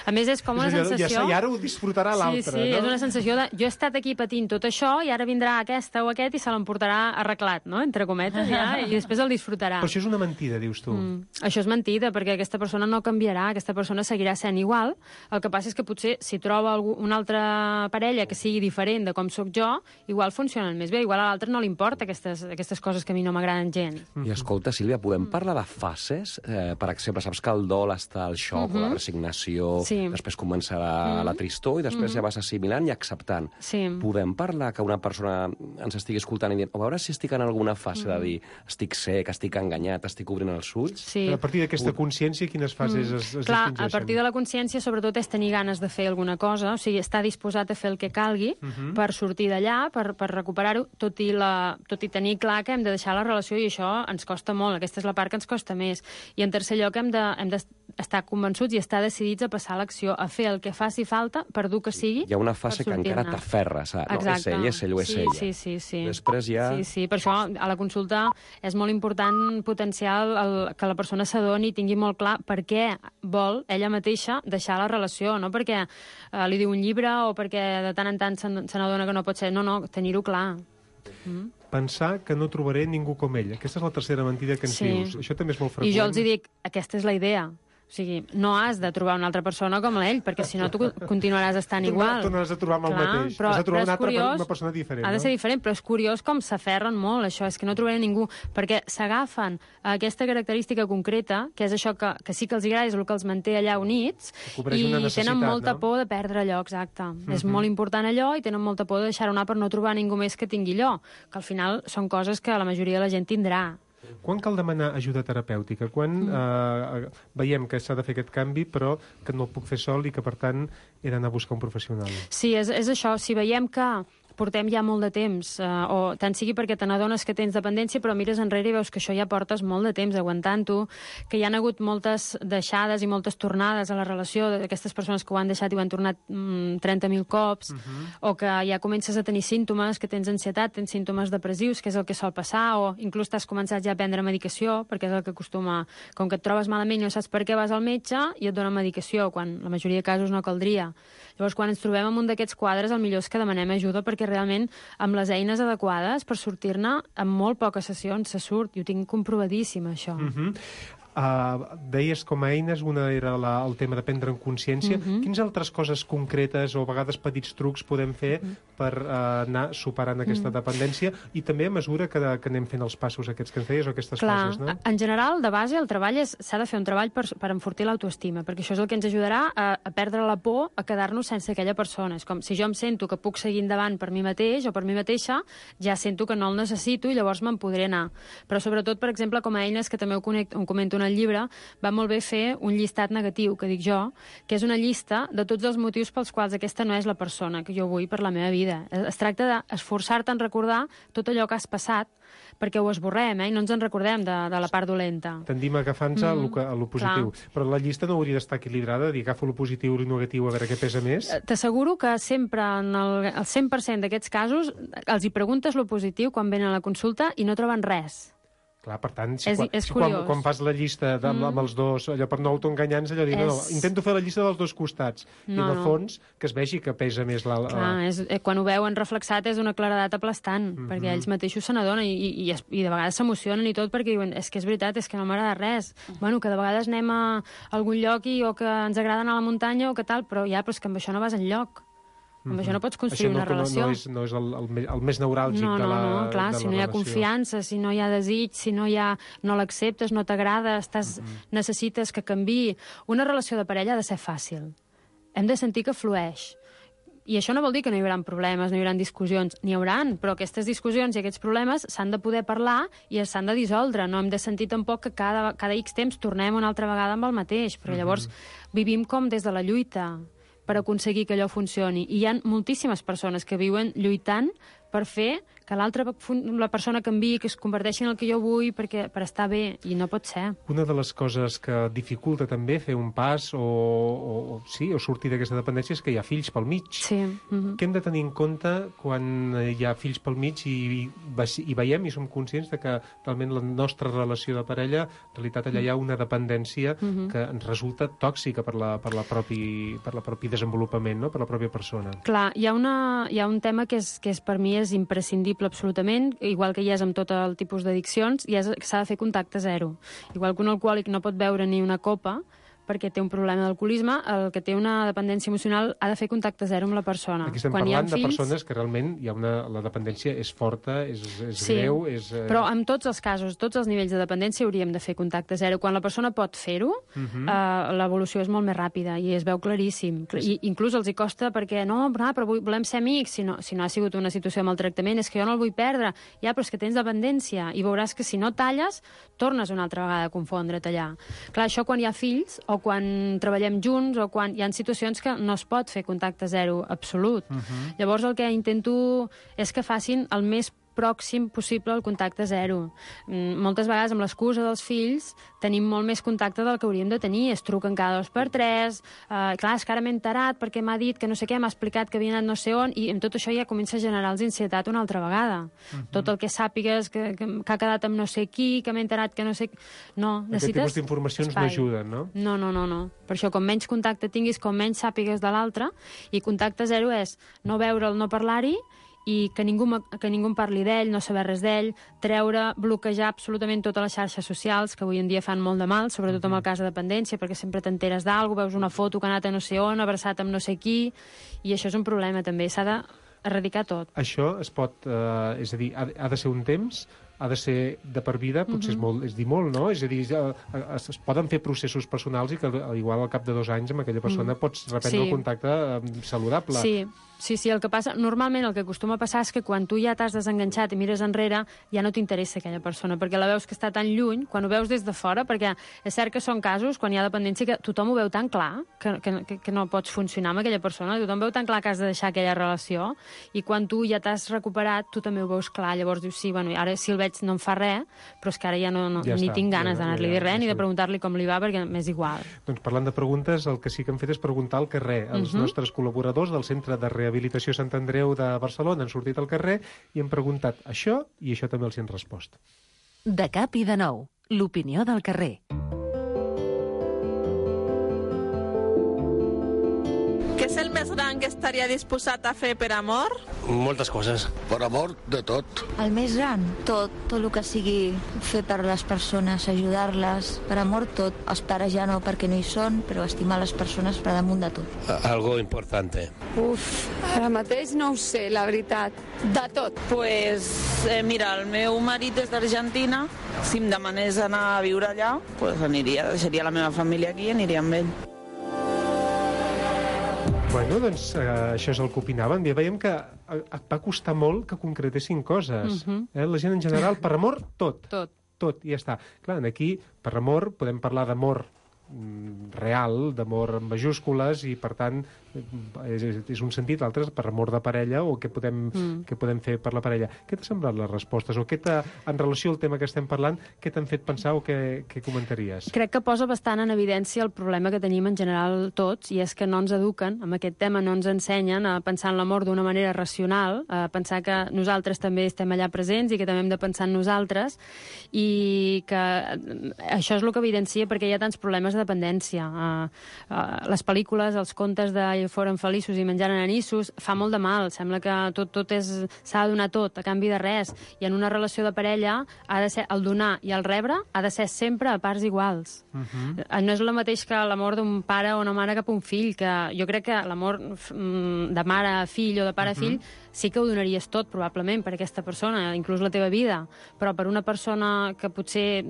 A més, és com una és allò, sensació... Ja, I ara ho disfrutarà l'altre, sí, sí, no? És una sensació de... Jo he estat aquí patint tot això i ara vindrà aquesta o aquest i se l'emportarà arreglat, no? Entre cometes, ja, i després el disfrutarà. Però això és una mentida, dius tu. Mm. Això és mentida, perquè aquesta persona no canviarà, aquesta persona seguirà sent igual. El que passa és que potser si troba algú, una altra parella que sigui diferent de com soc jo, igual funcionen més bé, igual a l'altre no li importa aquestes, aquestes coses que a mi no m'agraden gens. I escolta, Sílvia, podem parlar de fases? Eh, per exemple, saps que el dol està al xoc uh-huh. o la resignació, sí. després començarà uh-huh. la tristor i després uh-huh. ja vas assimilant i acceptant. Sí. Podem parlar que una persona ens estigui escoltant i dient, a veure si estic en alguna fase uh-huh. de dir estic sec, estic enganyat, estic obrint els ulls? Sí. A partir d'aquesta consciència, quines fases uh-huh. es, es Clar, distingeixen? A partir de la consciència, sobretot, és tenir ganes de fer alguna cosa, o sigui, estar disposat a fer el que calgui uh-huh. per sortir d'allà, per, per recuperar-ho, tot, i la, tot i tenir clar que hem de deixar la relació i això ens costa molt, aquesta és la part que ens costa més. I en tercer lloc hem d'estar de, hem de convençuts i estar decidits a passar a l'acció, a fer el que faci falta, per dur que sigui. Hi ha una fase que encara t'aferres, no, és ell, és ell o és sí, ella. Sí, sí, sí. Després ja... Sí, sí, per això a la consulta és molt important potenciar el, que la persona s'adoni i tingui molt clar per què vol ella mateixa deixar la relació, no perquè eh, li diu un llibre o perquè de tant en tant se n'adona que no pot ser, no, no, tenir-ho clar. Mm. pensar que no trobaré ningú com ell. Aquesta és la tercera mentida que ens Sí. dius. Això també és molt freqüent. I jo els hi dic, aquesta és la idea. O sigui, no has de trobar una altra persona com ell, perquè si no tu continuaràs estant Tu no- igual. tu no has de trobar amb el Clar, mateix. Però, Has de trobar però una és altra per- curiós, una persona diferent, Ha de no? ser diferent, però és curiós com s'aferren molt, això, és que no trobaré ningú, perquè s'agafen a aquesta característica concreta, que és això que, que sí que els agrada, és el que els manté allà units, cobreix i una necessitat, tenen molta no? por de perdre allò, exacte. Mm-hmm. És Mhm. molt important allò i tenen molta por de deixar-ho anar per no trobar ningú més que tingui allò, que al final són coses que la majoria de la gent tindrà. Quan cal demanar ajuda terapèutica? Quan eh, veiem que s'ha de fer aquest canvi, però que no el puc fer sol i que, per tant, he d'anar a buscar un professional? Sí, és, és això. Si veiem que portem ja molt de temps, eh, o tant sigui perquè te n'adones que tens dependència, però mires enrere i veus que això ja portes molt de temps aguantant-ho, que hi ha hagut moltes deixades i moltes tornades a la relació d'aquestes persones que ho han deixat i ho han tornat mm, trenta mil cops, Mhm. o que ja comences a tenir símptomes, que tens ansietat, tens símptomes depressius, que és el que sol passar, o inclús t'has començat ja a prendre medicació, perquè és el que acostuma... Com que et trobes malament i no saps per què, vas al metge i et donen medicació, quan la majoria de casos no caldria. Llavors, quan ens trobem en un d'aquests quadres, el millor és que demanem ajuda, perquè realment amb les eines adequades per sortir-ne, en molt poques sessions se surt, i ho tinc comprovadíssim, això. Mhm. Uh, deies com a eines, una era la, el tema de prendre en consciència. Mhm. Quines altres coses concretes o a vegades petits trucs podem fer per uh, anar superant aquesta Mhm. dependència, i també a mesura que, que anem fent els passos aquests que ens deies o aquestes Clar, fases, no? en general, de base, el treball és- s'ha de fer un treball per, per enfortir l'autoestima, perquè això és el que ens ajudarà a, a perdre la por a quedar-nos sense aquella persona. És com si jo em sento que puc seguir endavant per mi mateix o per mi mateixa, ja sento que no el necessito i llavors me'n podré anar. Però sobretot, per exemple, com a eines, que també ho, connect, ho comento en el llibre, va molt bé fer un llistat negatiu, que dic jo, que és una llista de tots els motius pels quals aquesta no és la persona que jo vull per la meva vida. Es, es tracta d'esforçar-te en recordar tot allò que has passat, perquè ho esborrem, eh? I no ens en recordem de, de la part dolenta. Tendim a agafar-nos a, lo, que- a lo positiu. Clar. Però la llista no hauria d'estar equilibrada, dir agafo lo positiu i lo negatiu a veure què pesa més. Eh, T'asseguro que sempre, en el, el cent per cent d'aquests casos, els hi preguntes lo positiu quan venen a la consulta i no troben res. Clar, per tant, si, És- quan, és si quan, curiós. quan fas la llista de, amb, amb els dos, allò per no autoenganyar-nos, allò dir, no, no, És- intento fer la llista dels dos costats. I No, en el no. fons, que es vegi que pesa més la... la... Clar, és, eh, quan ho veuen reflexat és una claredat aplastant, Mhm. perquè ells mateixos se n'adonen i, i, i, es- i de vegades s'emocionen i tot perquè diuen, és que és veritat, és que no m'agrada res. Bueno, que de vegades anem a algun lloc i o que ens agrada anar a la muntanya o que tal, però ja, però és que amb això no vas enlloc. Amb això no pots construir Això no, una relació. No, no és, no és el, el, me- el més neuràlgic No, de no, la no, clar, de si la no hi ha relació. confiança, si no hi ha desig, si no hi ha, no l'acceptes, no t'agrada, estàs, necessites que canviï. Una relació de parella ha de ser fàcil. Hem de sentir que flueix. I això no vol dir que no hi haurà problemes, no hi haurà discussions. N'hi hauran, però aquestes discussions i aquests problemes s'han de poder parlar i s'han de dissoldre. No hem de sentir tampoc que cada, cada X temps tornem una altra vegada amb el mateix, perquè llavors vivim com des de la lluita per aconseguir que allò funcioni. I hi ha moltíssimes persones que viuen lluitant per fer que l'altra fun- la persona canviï, que es converteixi en el que jo vull perquè, per estar bé, i no pot ser. Una de les coses que dificulta també fer un pas o, o, o, sí, o sortir d'aquesta dependència és que hi ha fills pel mig. Sí. Mm-hmm. Què hem de tenir en compte quan hi ha fills pel mig i, i, i veiem i som conscients de que realment la nostra relació de parella, en realitat allà hi ha una dependència Mhm. que ens resulta tòxica per la, per la propi, per la propi desenvolupament, no? Per la pròpia persona. Clar, hi ha, una, hi ha un tema que, és, que és, per mi és imprescindible absolutament, igual que hi és amb tot el tipus d'addiccions, i és que s'ha de fer contacte zero. Igual que un alcohòlic no pot beure ni una copa perquè té un problema d'alcoholisme, el que té una dependència emocional ha de fer contacte zero amb la persona. Aquí estem Quan hi ha parlant de fills, persones que realment hi ha una, la dependència és forta, és, és Sí, greu, és... eh, però en tots els casos, tots els nivells de dependència hauríem de fer contacte zero. Quan la persona pot fer-ho, Mhm. eh, l'evolució és molt més ràpida i es veu claríssim. I inclús els hi costa perquè no, però, ah, però vull- volem ser amics, si no, si no ha sigut una situació de maltractament, és que jo no el vull perdre. Ja, però és que tens dependència i veuràs que si no talles, tornes una altra vegada a confondre't allà. Clar, això quan hi ha fills o quan treballem junts o quan hi ha situacions que no es pot fer contacte zero absolut. Mhm. Llavors el que intento és que facin el més pròxim possible al contacte zero. Mm, moltes vegades amb l'excusa dels fills tenim molt més contacte del que hauríem de tenir. Es truquen cada dos per tres, eh, clar, és que ara m'he enterat perquè m'ha dit que no sé què, m'ha explicat que havia anat no sé on, i amb tot això ja comença a generar-los ansietat una altra vegada. Mhm. Tot el que sàpigues que, que, que ha quedat amb no sé qui, que m'he enterat que no sé... No, Aquest necessites tipus d'informacions no espai. ajuden, no? No, no, no, no. Per això, com menys contacte tinguis, com menys sàpigues de l'altre, i contacte zero és no veure'l, no parlar-hi, i que ningú, que ningú en parli d'ell, no saber res d'ell, treure, bloquejar absolutament totes les xarxes socials, que avui en dia fan molt de mal, sobretot amb el cas de dependència, perquè sempre t'enteres d'algú, veus una foto que ha anat a no sé on, abraçat amb no sé qui, i això és un problema també, s'ha d'erradicar tot. Això es pot, eh, és a dir, ha, ha de ser un temps, ha de ser de per vida, potser uh-huh. és, molt, és dir molt, no? És a dir, es, es poden fer processos personals i que igual al cap de dos anys amb aquella persona mm. pots reprendre sí. el contacte eh, saludable. Sí. Sí, sí, el que passa, normalment el que acostuma a passar és que quan tu ja t'has desenganxat i mires enrere, ja no t'interessa aquella persona, perquè la veus que està tan lluny, quan ho veus des de fora, perquè és cert que són casos, quan hi ha dependència, que tothom ho veu tan clar, que, que, que no pots funcionar amb aquella persona, tothom veu tan clar que has de deixar aquella relació, i quan tu ja t'has recuperat, tu també ho veus clar, llavors dius, sí, bueno, ara si el veig no em fa res, però és que ara ja, no, no, ja ni està, tinc ganes ja, d'anar-li ja, ja, a dir res, ja, ni de preguntar-li com li va, perquè m'és igual. Doncs parlant de preguntes, el que sí que hem fet és preguntar al carrer. Els uh-huh. nostres col·laboradors del Centre de Rehabilitació Sant Andreu de Barcelona han sortit al carrer i hem preguntat això i això també els hi han respost. De cap i de nou, l'opinió del carrer. Què és el més gran que estaria disposat a fer per amor? Moltes coses. Per amor, de tot. El més gran? Tot. Tot el que sigui fer per les persones, ajudar-les. Per amor, tot. Els pares ja no, perquè no hi són, però estimar les persones per damunt de tot. Algo importante. Uf, ara mateix no ho sé, la veritat. De tot. Pues, eh, mira, el meu marit és d'Argentina. Si em demanés anar a viure allà, pues aniria, deixaria la meva família aquí i aniria amb ell. Bueno, doncs eh, això és el que opinaven. Bé, veiem que eh, va costar molt que concretessin coses. Uh-huh. eh? La gent en general, per amor, tot. Tot. Tot, i ja està. Clar, aquí, per amor, podem parlar d'amor real, d'amor en majúscules, i per tant és, és un sentit, l'altre és per amor de parella, o què podem, mm. què podem fer per la parella. Què t'ha semblat les respostes? O què t'ha, en relació al tema que estem parlant, què t'han fet pensar o què, què comentaries? Crec que posa bastant en evidència el problema que tenim en general tots, i és que no ens eduquen, amb aquest tema no ens ensenyen a pensar en l'amor d'una manera racional, a pensar que nosaltres també estem allà presents i que també hem de pensar en nosaltres, i que això és el que evidencia perquè hi ha tants problemes de dependència. Uh, uh, les pel·lícules, els contes de Foren feliços i menjaren anissos, fa molt de mal. Sembla que tot, tot és, s'ha de donar tot a canvi de res. I en una relació de parella ha de ser el donar i el rebre ha de ser sempre a parts iguals. Uh-huh. No és el mateix que l'amor d'un pare o una mare cap a un fill, que jo crec que l'amor de mare a fill o de pare a fill uh-huh. sí que ho donaries tot, probablement, per aquesta persona, inclús la teva vida, però per una persona que potser...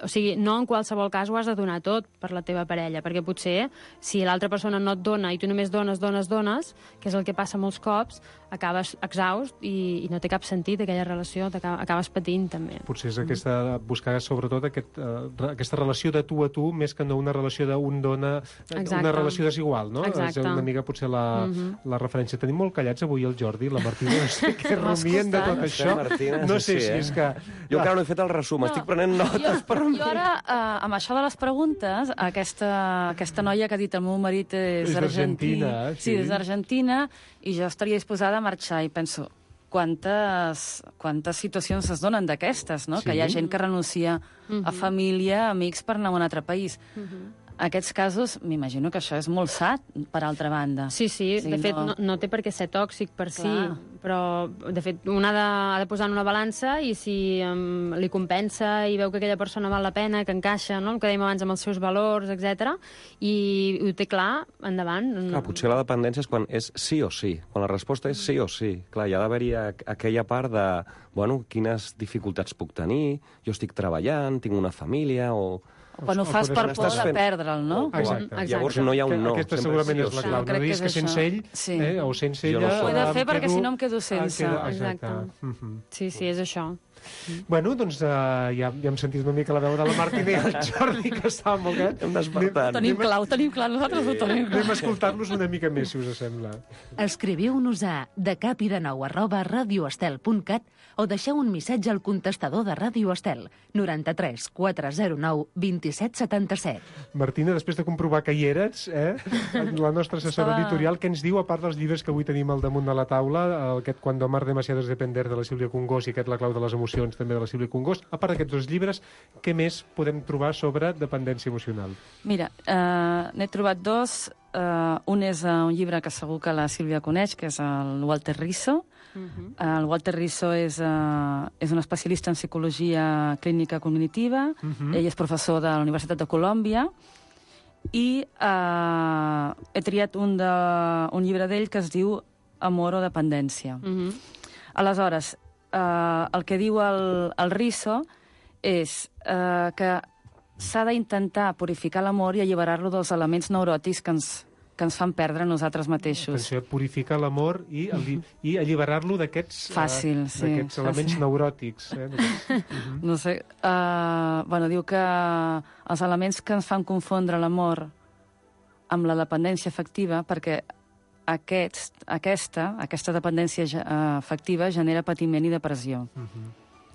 O sigui, no en qualsevol cas ho has de donar tot per la teva parella, perquè potser si l'altra persona no et dona i tu només dones, dones, dones, que és el que passa molts cops, acabes exhaust i, i no té cap sentit aquella relació, acabes patint també. Potser és aquesta, buscar sobretot aquest, uh, aquesta relació de tu a tu, més que no una relació d'un dona, Exacte. Una relació desigual, no? Exacte. És una mica potser la, uh-huh. la referència. Tenim molt callats avui el Jordi i la Martina, no sé què rumien de tot això. Martina, no sé sí, si eh? és que... Jo encara no he fet el resum, no. Estic prenent notes jo, per... Jo ara, eh, amb això de les preguntes, aquesta, aquesta noia que ha dit el meu marit és, és d'Argentina, sí. sí, és d'Argentina, i jo estaria disposada a marxar, i penso, quantes, quantes situacions es donen d'aquestes, no? Sí. Que hi ha gent que renuncia uh-huh. a família, amics, per anar a un altre país. Uh-huh. Aquests casos, m'imagino que això és molt sa, per altra banda. Sí, sí, sí de fet no... No, no té per què ser tòxic per Clar. si, però de fet un ha de, ha de posar en una balança, i si um, li compensa i veu que aquella persona val la pena, que encaixa, no? El que dèiem abans, amb els seus valors, etcètera, i, i ho té clar, endavant. Clar, potser la dependència és quan és sí o sí, quan la resposta és sí o sí. Clar, hi ha d'haver-hi aquella part de, bueno, quines dificultats puc tenir, jo estic treballant, tinc una família, o... Quan ho fas per por de perdre'l, no? Exacte. Exacte. Llavors no hi ha un no. Aquesta segurament és la clau. No diguis que sense ell, sí. eh, o sense ella... Ho he de fer perquè si no em quedo sense. Queda, exacte. exacte. Uh-huh. Sí, sí, és això. Bueno, doncs uh, ja, ja hem sentit una mica la veu de la Martina i el Jordi, que estava molt bé. Hem despertat. Tenim clar, ho tenim clar, nosaltres ho tenim clar. Anem a escoltar-los una mica més, si us sembla. Escriviu-nos a decapidenou arroba radioestel punt cat o deixeu un missatge al contestador de Ràdio Estel, noranta-tres quatre zero nou vint set setanta set. Martina, després de comprovar que hi eres, eh, la nostra assessora Estava... editorial, què ens diu, a part dels llibres que avui tenim al damunt de la taula, aquest Cuando amar demasiado es depender, de la Sílvia Congós, i aquest La clau de les emocions, també de la Sílvia Congós. A part d'aquests dos llibres, què més podem trobar sobre dependència emocional? Mira, eh, n'he trobat dos. Uh, un és uh, un llibre que segur que la Sílvia coneix, que és el Walter Rizzo, Uh-huh. El Walter Risso és, uh, és un especialista en psicologia clínica cognitiva, uh-huh. ell és professor de la Universitat de Colòmbia, i uh, he triat un, de, un llibre d'ell que es diu Amor o dependència. Uh-huh. Aleshores, uh, el que diu el, el Risso és uh, que s'ha d'intentar purificar l'amor i alliberar-lo dels elements neuròtics que ens, que ens fan perdre nosaltres mateixos. Atenció, purificar l'amor i, i alliberar-lo d'aquests fàcil, uh, sí, d'aquests elements fàcil. neuròtics. Eh? Uh-huh. No sé, uh, bueno, diu que els elements que ens fan confondre l'amor amb la dependència afectiva, perquè aquest, aquesta, aquesta dependència afectiva genera patiment i depressió. Uh-huh.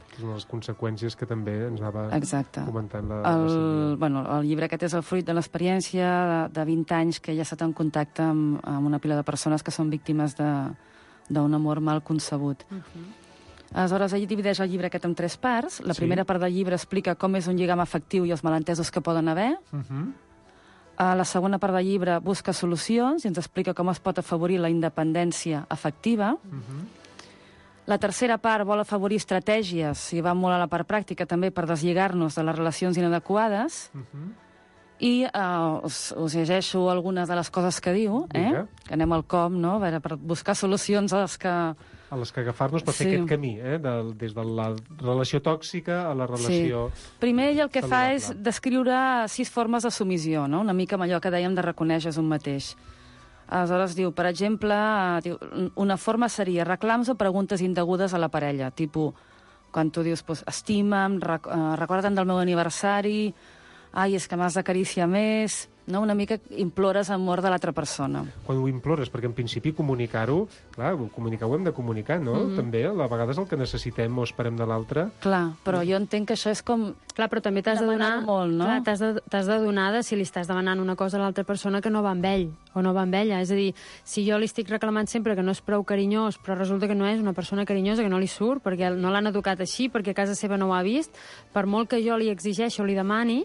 És una de les conseqüències que també ens anava Exacte. comentant la, el, la Sílvia. Bueno, el llibre aquest és el fruit de l'experiència de, de vint anys que ella ha estat en contacte amb, amb una pila de persones que són víctimes d'un amor mal concebut. Uh-huh. Aleshores, ell divideix el llibre aquest en tres parts. La sí. primera part del llibre explica com és un lligam afectiu i els malentesos que poden haver. Uh-huh. A la segona part del llibre busca solucions i ens explica com es pot afavorir la independència afectiva. Uh-huh. La tercera part vol afavorir estratègies, i va molt a la part pràctica també, per deslligar-nos de les relacions inadequades. Uh-huh. I uh, us, us llegeixo algunes de les coses que diu, eh? Que anem al com, no? A veure, per buscar solucions a les que... A les que agafar-nos per sí. fer aquest camí, eh? de, des de la relació tòxica a la relació... Sí. Primer ell el que saludable. fa és descriure sis formes de submissió, no? Una mica amb allò que dèiem de reconèixer un mateix. Aleshores diu, per exemple, diu, una forma seria reclams o preguntes indegudes a la parella, tipus, quan tu dius, pues, estima'm, rec uh, recorda't del meu aniversari, ai, és que m'has d'acariciar més... No? Una mica implores amor de l'altra persona. Quan ho implores, perquè en principi comunicar-ho, clar, comunicar ho hem de comunicar, no? Mm-hmm. També, a vegades el que necessitem o esperem de l'altre... Clar, però jo entenc que això és com... Clar, però també t'has de donar... molt, no? Clar, t'has de, t'has de donar de si li estàs demanant una cosa a l'altra persona que no va amb ell, o no va amb ella. És a dir, si jo li estic reclamant sempre que no és prou carinyós, però resulta que no és una persona carinyosa, que no li surt, perquè no l'han educat així, perquè a casa seva no ho ha vist, per molt que jo li exigeixi o li demani,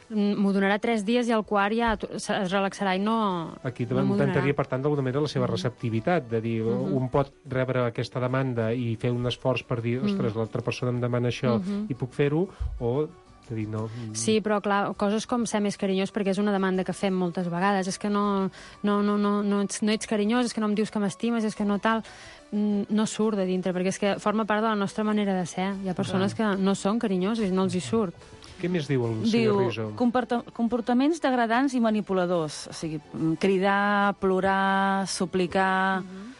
m'ho donarà tres dies i al quart ja es relaxarà i no... Aquí no intentaria, per tant, d'alguna manera la seva receptivitat, de dir, uh-huh. un pot rebre aquesta demanda i fer un esforç per dir, ostres, uh-huh. l'altra persona em demana això uh-huh. i puc fer-ho, o de dir no... Sí, però clar, coses com ser més carinyós, perquè és una demanda que fem moltes vegades, és que no, no, no, no, no, ets, no ets carinyós, és que no em dius que m'estimes, és que no tal... no surt de dintre, perquè és que forma part de la nostra manera de ser. Hi ha persones que no són carinyoses i no els hi surt. Què més diu el senyor Risso? Diu, comportaments degradants i manipuladors. O sigui, cridar, plorar, suplicar... Uh-huh.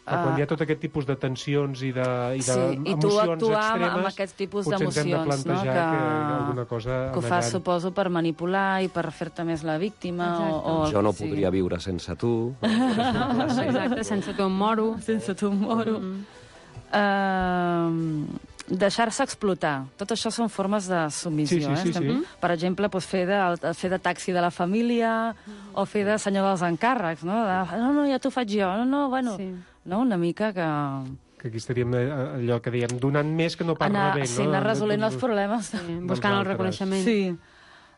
Uh, quan hi ha tot aquest tipus de tensions i d'emocions sí, i tu actuar extremes, amb aquest tipus potser ens hem de plantejar no? que, que alguna cosa... Que ho fas, suposo, per manipular i per fer-te més la víctima. O, o, jo no sí. podria viure sense tu. Exacte, sense tu em moro. Sense tu em moro. Mm-hmm. Uh, deixar-se explotar. Tot això són formes de submissió. Sí, sí, sí, eh? sí. Per exemple, doncs, fer, de, fer de taxi de la família o fer de senyor dels encàrrecs. No, de, no, no ja t'ho faig jo. No, no, bueno... Sí. No, una mica que... Que aquí estaríem allò que dèiem, donant més que no pas anar, rebent. Sí, no? anar resolent els problemes. Sí, buscant el reconeixement. Sí.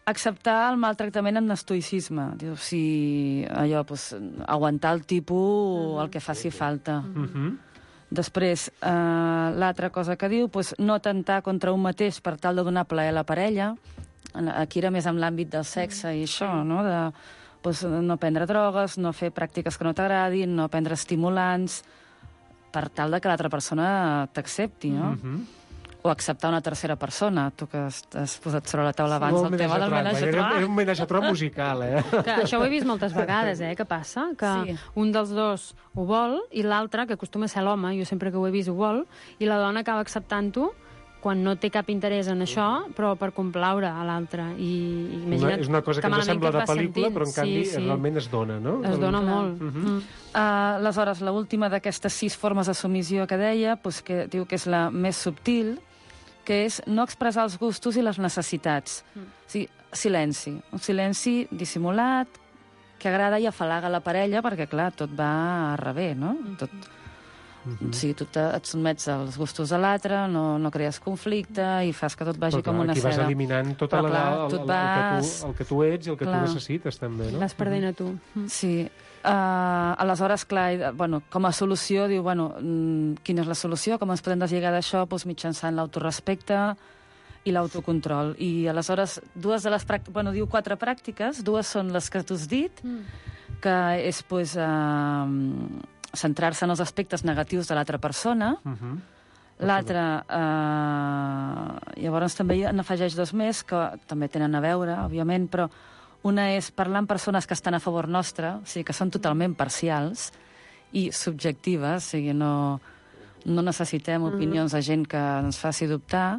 Acceptar el maltractament amb estoïcisme. Diu, si allò, doncs, aguantar el tipus, el que faci falta. Uh-huh. Després, eh, l'altra cosa que diu, doncs, no atemptar contra un mateix per tal de donar plaer a la parella. Aquí era més en l'àmbit del sexe i això, no?, de... Pues no prendre drogues, no fer pràctiques que no t'agradin, no prendre estimulants, per tal de que l'altra persona t'accepti, no? Mm-hmm. O acceptar una tercera persona. Tu que has posat sobre la taula abans el tema del menage a trois. Era un menage a trois musical, eh? Que això ho he vist moltes vegades, eh? Què passa? Que sí. Un dels dos ho vol i l'altre, que acostuma a ser l'home, jo sempre que ho he vist ho vol, i la dona acaba acceptant-ho quan no té cap interès en això, però per complaure a l'altre. I, una, és una cosa que, que ens sembla de pel·lícula, sentint. Però en canvi sí, sí. realment es dona, no? Es dona Clar. molt. Uh-huh. Mm. Uh, aleshores, l'última d'aquestes sis formes de submissió que deia, pues, que diu que és la més subtil, que és no expressar els gustos i les necessitats. Mm. O sigui, silenci. Un silenci dissimulat, que agrada i afalaga la parella, perquè, clar, tot va a rebé, no? Mm-hmm. Tot... Mm-hmm. O sigui, tu te, et sotmets als gustos de l'altre, no, no crees conflicte i fas que tot vagi Però, clar, com una aquí seda. vas eliminant tot el, clar, el, el, el, vas... el, que tu, el que tu ets i el que clar. tu necessites, també, no? Vas perdent a tu. Sí. Uh, aleshores, clar, bueno, com a solució, diu, bueno, quina és la solució? Com ens podem deslligar d'això? Doncs mitjançant l'autorespecte i l'autocontrol. I aleshores, dues de les pràctiques... Bueno, diu quatre pràctiques, dues són les que tu has dit, mm. que és, pues, uh, centrar-se en els aspectes negatius de l'altra persona. Uh-huh. L'altra, uh, llavors també n'afegeix dos més, que també tenen a veure, òbviament, però una és parlar amb persones que estan a favor nostre, o sigui, que són totalment parcials i subjectives, o sigui, no, no necessitem opinions de gent que ens faci dubtar.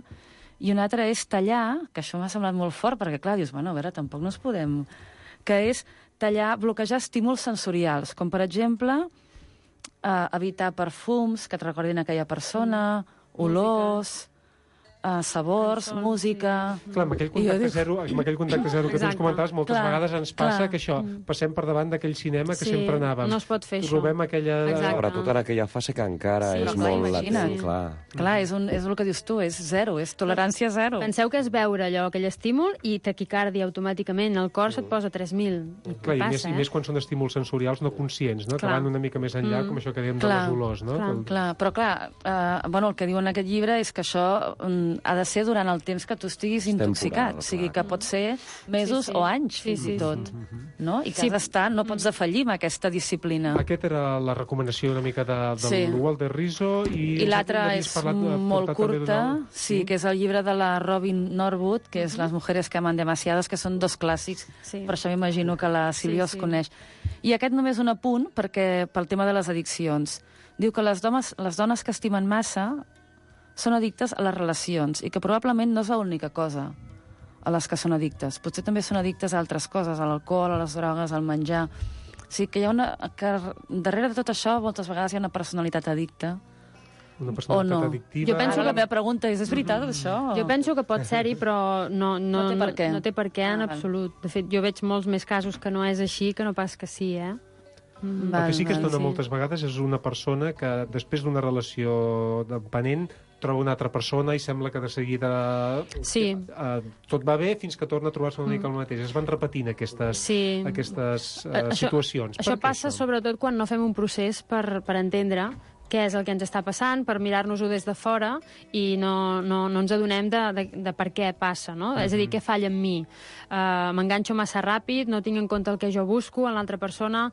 I una altra és tallar, que això m'ha semblat molt fort, perquè, clar, dius, bueno, a veure, tampoc no es podem... Que és tallar, bloquejar estímuls sensorials, com, per exemple, eh, evitar perfums que et recordin aquella persona, olors... Uh, sabors, Cançons, música... Sí. Clar, amb aquell contacte dic... zero, amb aquell contacte zero que tu ens comentaves, moltes clar, vegades ens passa clar. que això, passem per davant d'aquell cinema que sí, sempre anàvem. No es pot fer això. Trobem aquella... Exacte. Sobretot en aquella fase que encara sí, és clar, molt latent, clar. Clar, és, un, és el que dius tu, és zero, és tolerància zero. Penseu que és veure allò, aquell estímul, i taquicàrdia automàticament, el cor se't posa tres mil. Clar, i, passa, més, eh? i més quan són estímuls sensorials no conscients, no? Que van una mica més enllà, mm. com això que dèiem clar, de les olors, no? Clar, el... clar. Però clar, eh, bueno, el que diu en aquest llibre és que això um, ha de ser durant el temps que tu estiguis intoxicat. O sigui, que pot ser mesos sí, sí. o anys, sí, fins sí. i tot. No? I que sí. has d'estar, no pots defallir amb aquesta disciplina. Aquesta era la recomanació una mica de, del sí. Walter Rizzo. I, I l'altra és parlat, molt curta, sí, sí, que és el llibre de la Robin Norwood, que és Les mujeres que aman demasiadas, que són dos clàssics, sí. per això m'imagino que la Sílvia sí, els sí. coneix. I aquest només un apunt, perquè pel tema de les addiccions. Diu que les dones, les dones que estimen massa són addictes a les relacions i que probablement no és l'única cosa a les que són addictes. Potser també són addictes a altres coses, a l'alcohol, a les drogues, al menjar. O sigui que hi ha una... que darrere de tot això moltes vegades hi ha una personalitat addicta. Una personalitat no. addictiva... Jo penso que la meva pregunta és, és veritat, això? Jo penso que pot ser-hi, però no, no, no té per què. No, no té per què en ah, absolut. De fet, jo veig molts més casos que no és així que no pas que sí, eh? Mm. El que sí que es dona sí. moltes vegades és una persona que després d'una relació dependent troba una altra persona i sembla que de seguida sí. uh, tot va bé fins que torna a trobar-se una mica el mateix. Es van repetint aquestes, sí. aquestes uh, això, situacions. Això passa això? sobretot quan no fem un procés per, per entendre què és el que ens està passant, per mirar-nos-ho des de fora i no, no, no ens adonem de, de, de per què passa, no? Uh-huh. És a dir, què falla en mi? Uh, m'enganxo massa ràpid, no tinc en compte el que jo busco en l'altra persona,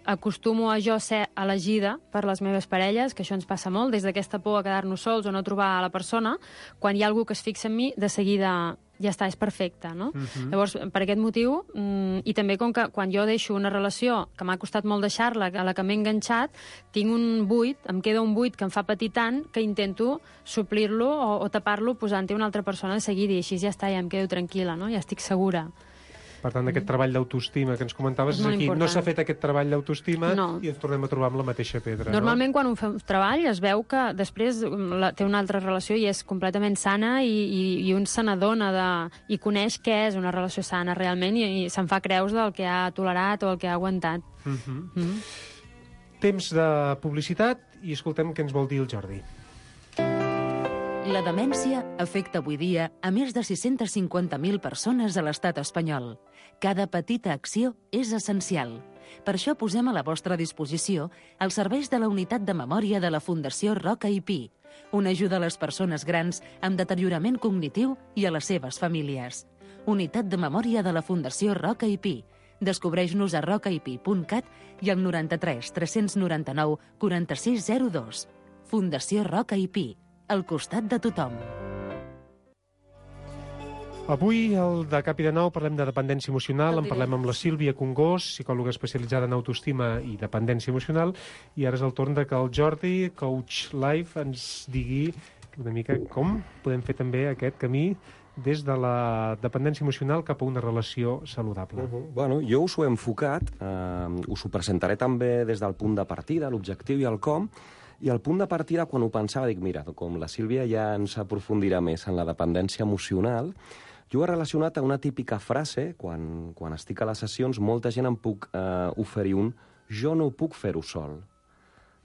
acostumo a jo ser elegida per les meves parelles, que això ens passa molt, des d'aquesta por a quedar-nos sols o no trobar a la persona, quan hi ha algú que es fixa en mi, de seguida ja està, és perfecte, no? Uh-huh. Llavors, per aquest motiu, mm, i també com que quan jo deixo una relació que m'ha costat molt deixar-la, a la que m'he enganxat, tinc un buit, em queda un buit que em fa patir tant que intento suplir-lo o, o tapar-lo posant-hi una altra persona de seguida i així ja està, ja em quedo tranquil·la, no? Ja estic segura. Per tant, aquest treball d'autoestima que ens comentaves és aquí. No s'ha fet aquest treball d'autoestima no. i ens tornem a trobar amb la mateixa pedra. Normalment, no? quan un fa un treball, es veu que després la, té una altra relació i és completament sana i, i, i un se n'adona de, i coneix què és una relació sana realment i, i se'n fa creus del que ha tolerat o el que ha aguantat. Uh-huh. Mm-hmm. Temps de publicitat i escoltem què ens vol dir el Jordi. La demència afecta avui dia a més de sis-centes cinquanta mil persones a l'estat espanyol. Cada petita acció és essencial. Per això posem a la vostra disposició els serveis de la Unitat de Memòria de la Fundació Roca i Pi, una ajuda a les persones grans amb deteriorament cognitiu i a les seves famílies. Unitat de Memòria de la Fundació Roca i Pi. Descobreix-nos a roca i pi punt cat i al noranta-tres tres noranta-nou quaranta-sis zero dos. Fundació Roca i Pi. Al costat de tothom. Avui, al de Cap i de Nou, parlem de dependència emocional, en parlem amb la Sílvia Congós, psicòloga especialitzada en autoestima i dependència emocional, i ara és el torn de que el Jordi, Coach Life, ens digui una mica com podem fer també aquest camí des de la dependència emocional cap a una relació saludable. Uh-huh. Bueno, jo us ho he enfocat, eh, us ho presentaré també des del punt de partida, l'objectiu i el com. I el punt de partida, quan ho pensava, dic, mira, com la Sílvia ja ens aprofundirà més en la dependència emocional, jo ho he relacionat a una típica frase, quan, quan estic a les sessions, molta gent em puc eh, oferir un «jo no puc fer-ho sol».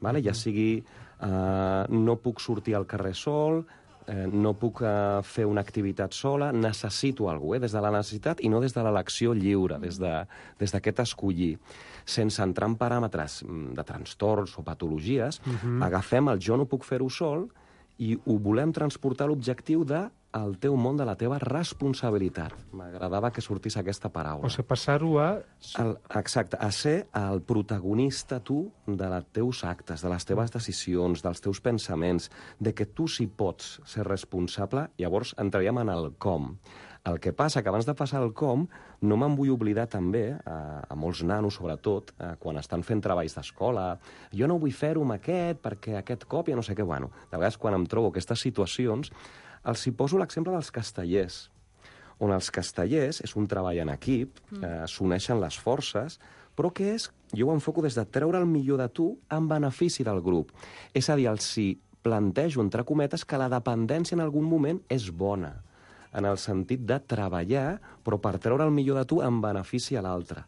vale? Ja sigui eh, no puc sortir al carrer sol, eh, no puc eh, fer una activitat sola, necessito algú, eh, des de la necessitat i no des de l'elecció lliure, des de, des d'aquest escollir. Sense entrar en paràmetres de trastorns o patologies, Mhm. agafem el jo no puc fer-ho sol i ho volem transportar a l'objectiu de el teu món, de la teva responsabilitat. M'agradava que sortís aquesta paraula. O sigui, passar-ho a... El, exacte, a ser el protagonista tu de les teus actes, de les teves decisions, dels teus pensaments, de que tu sí pots ser responsable. Llavors entraríem en el com. El que passa que abans de passar el com, no me'n vull oblidar també, a, a molts nanos sobretot, a, quan estan fent treballs d'escola, jo no vull fer-ho amb aquest perquè aquest cop ja no sé què. Bueno, de vegades quan em trobo aquestes situacions, els hi poso l'exemple dels castellers, on els castellers és un treball en equip, eh, s'uneixen les forces, però que és, jo ho enfoco des de treure el millor de tu en benefici del grup. És a dir, els hi plantejo, entre cometes, que la dependència en algun moment és bona, en el sentit de treballar, però per treure el millor de tu en benefici a l'altre.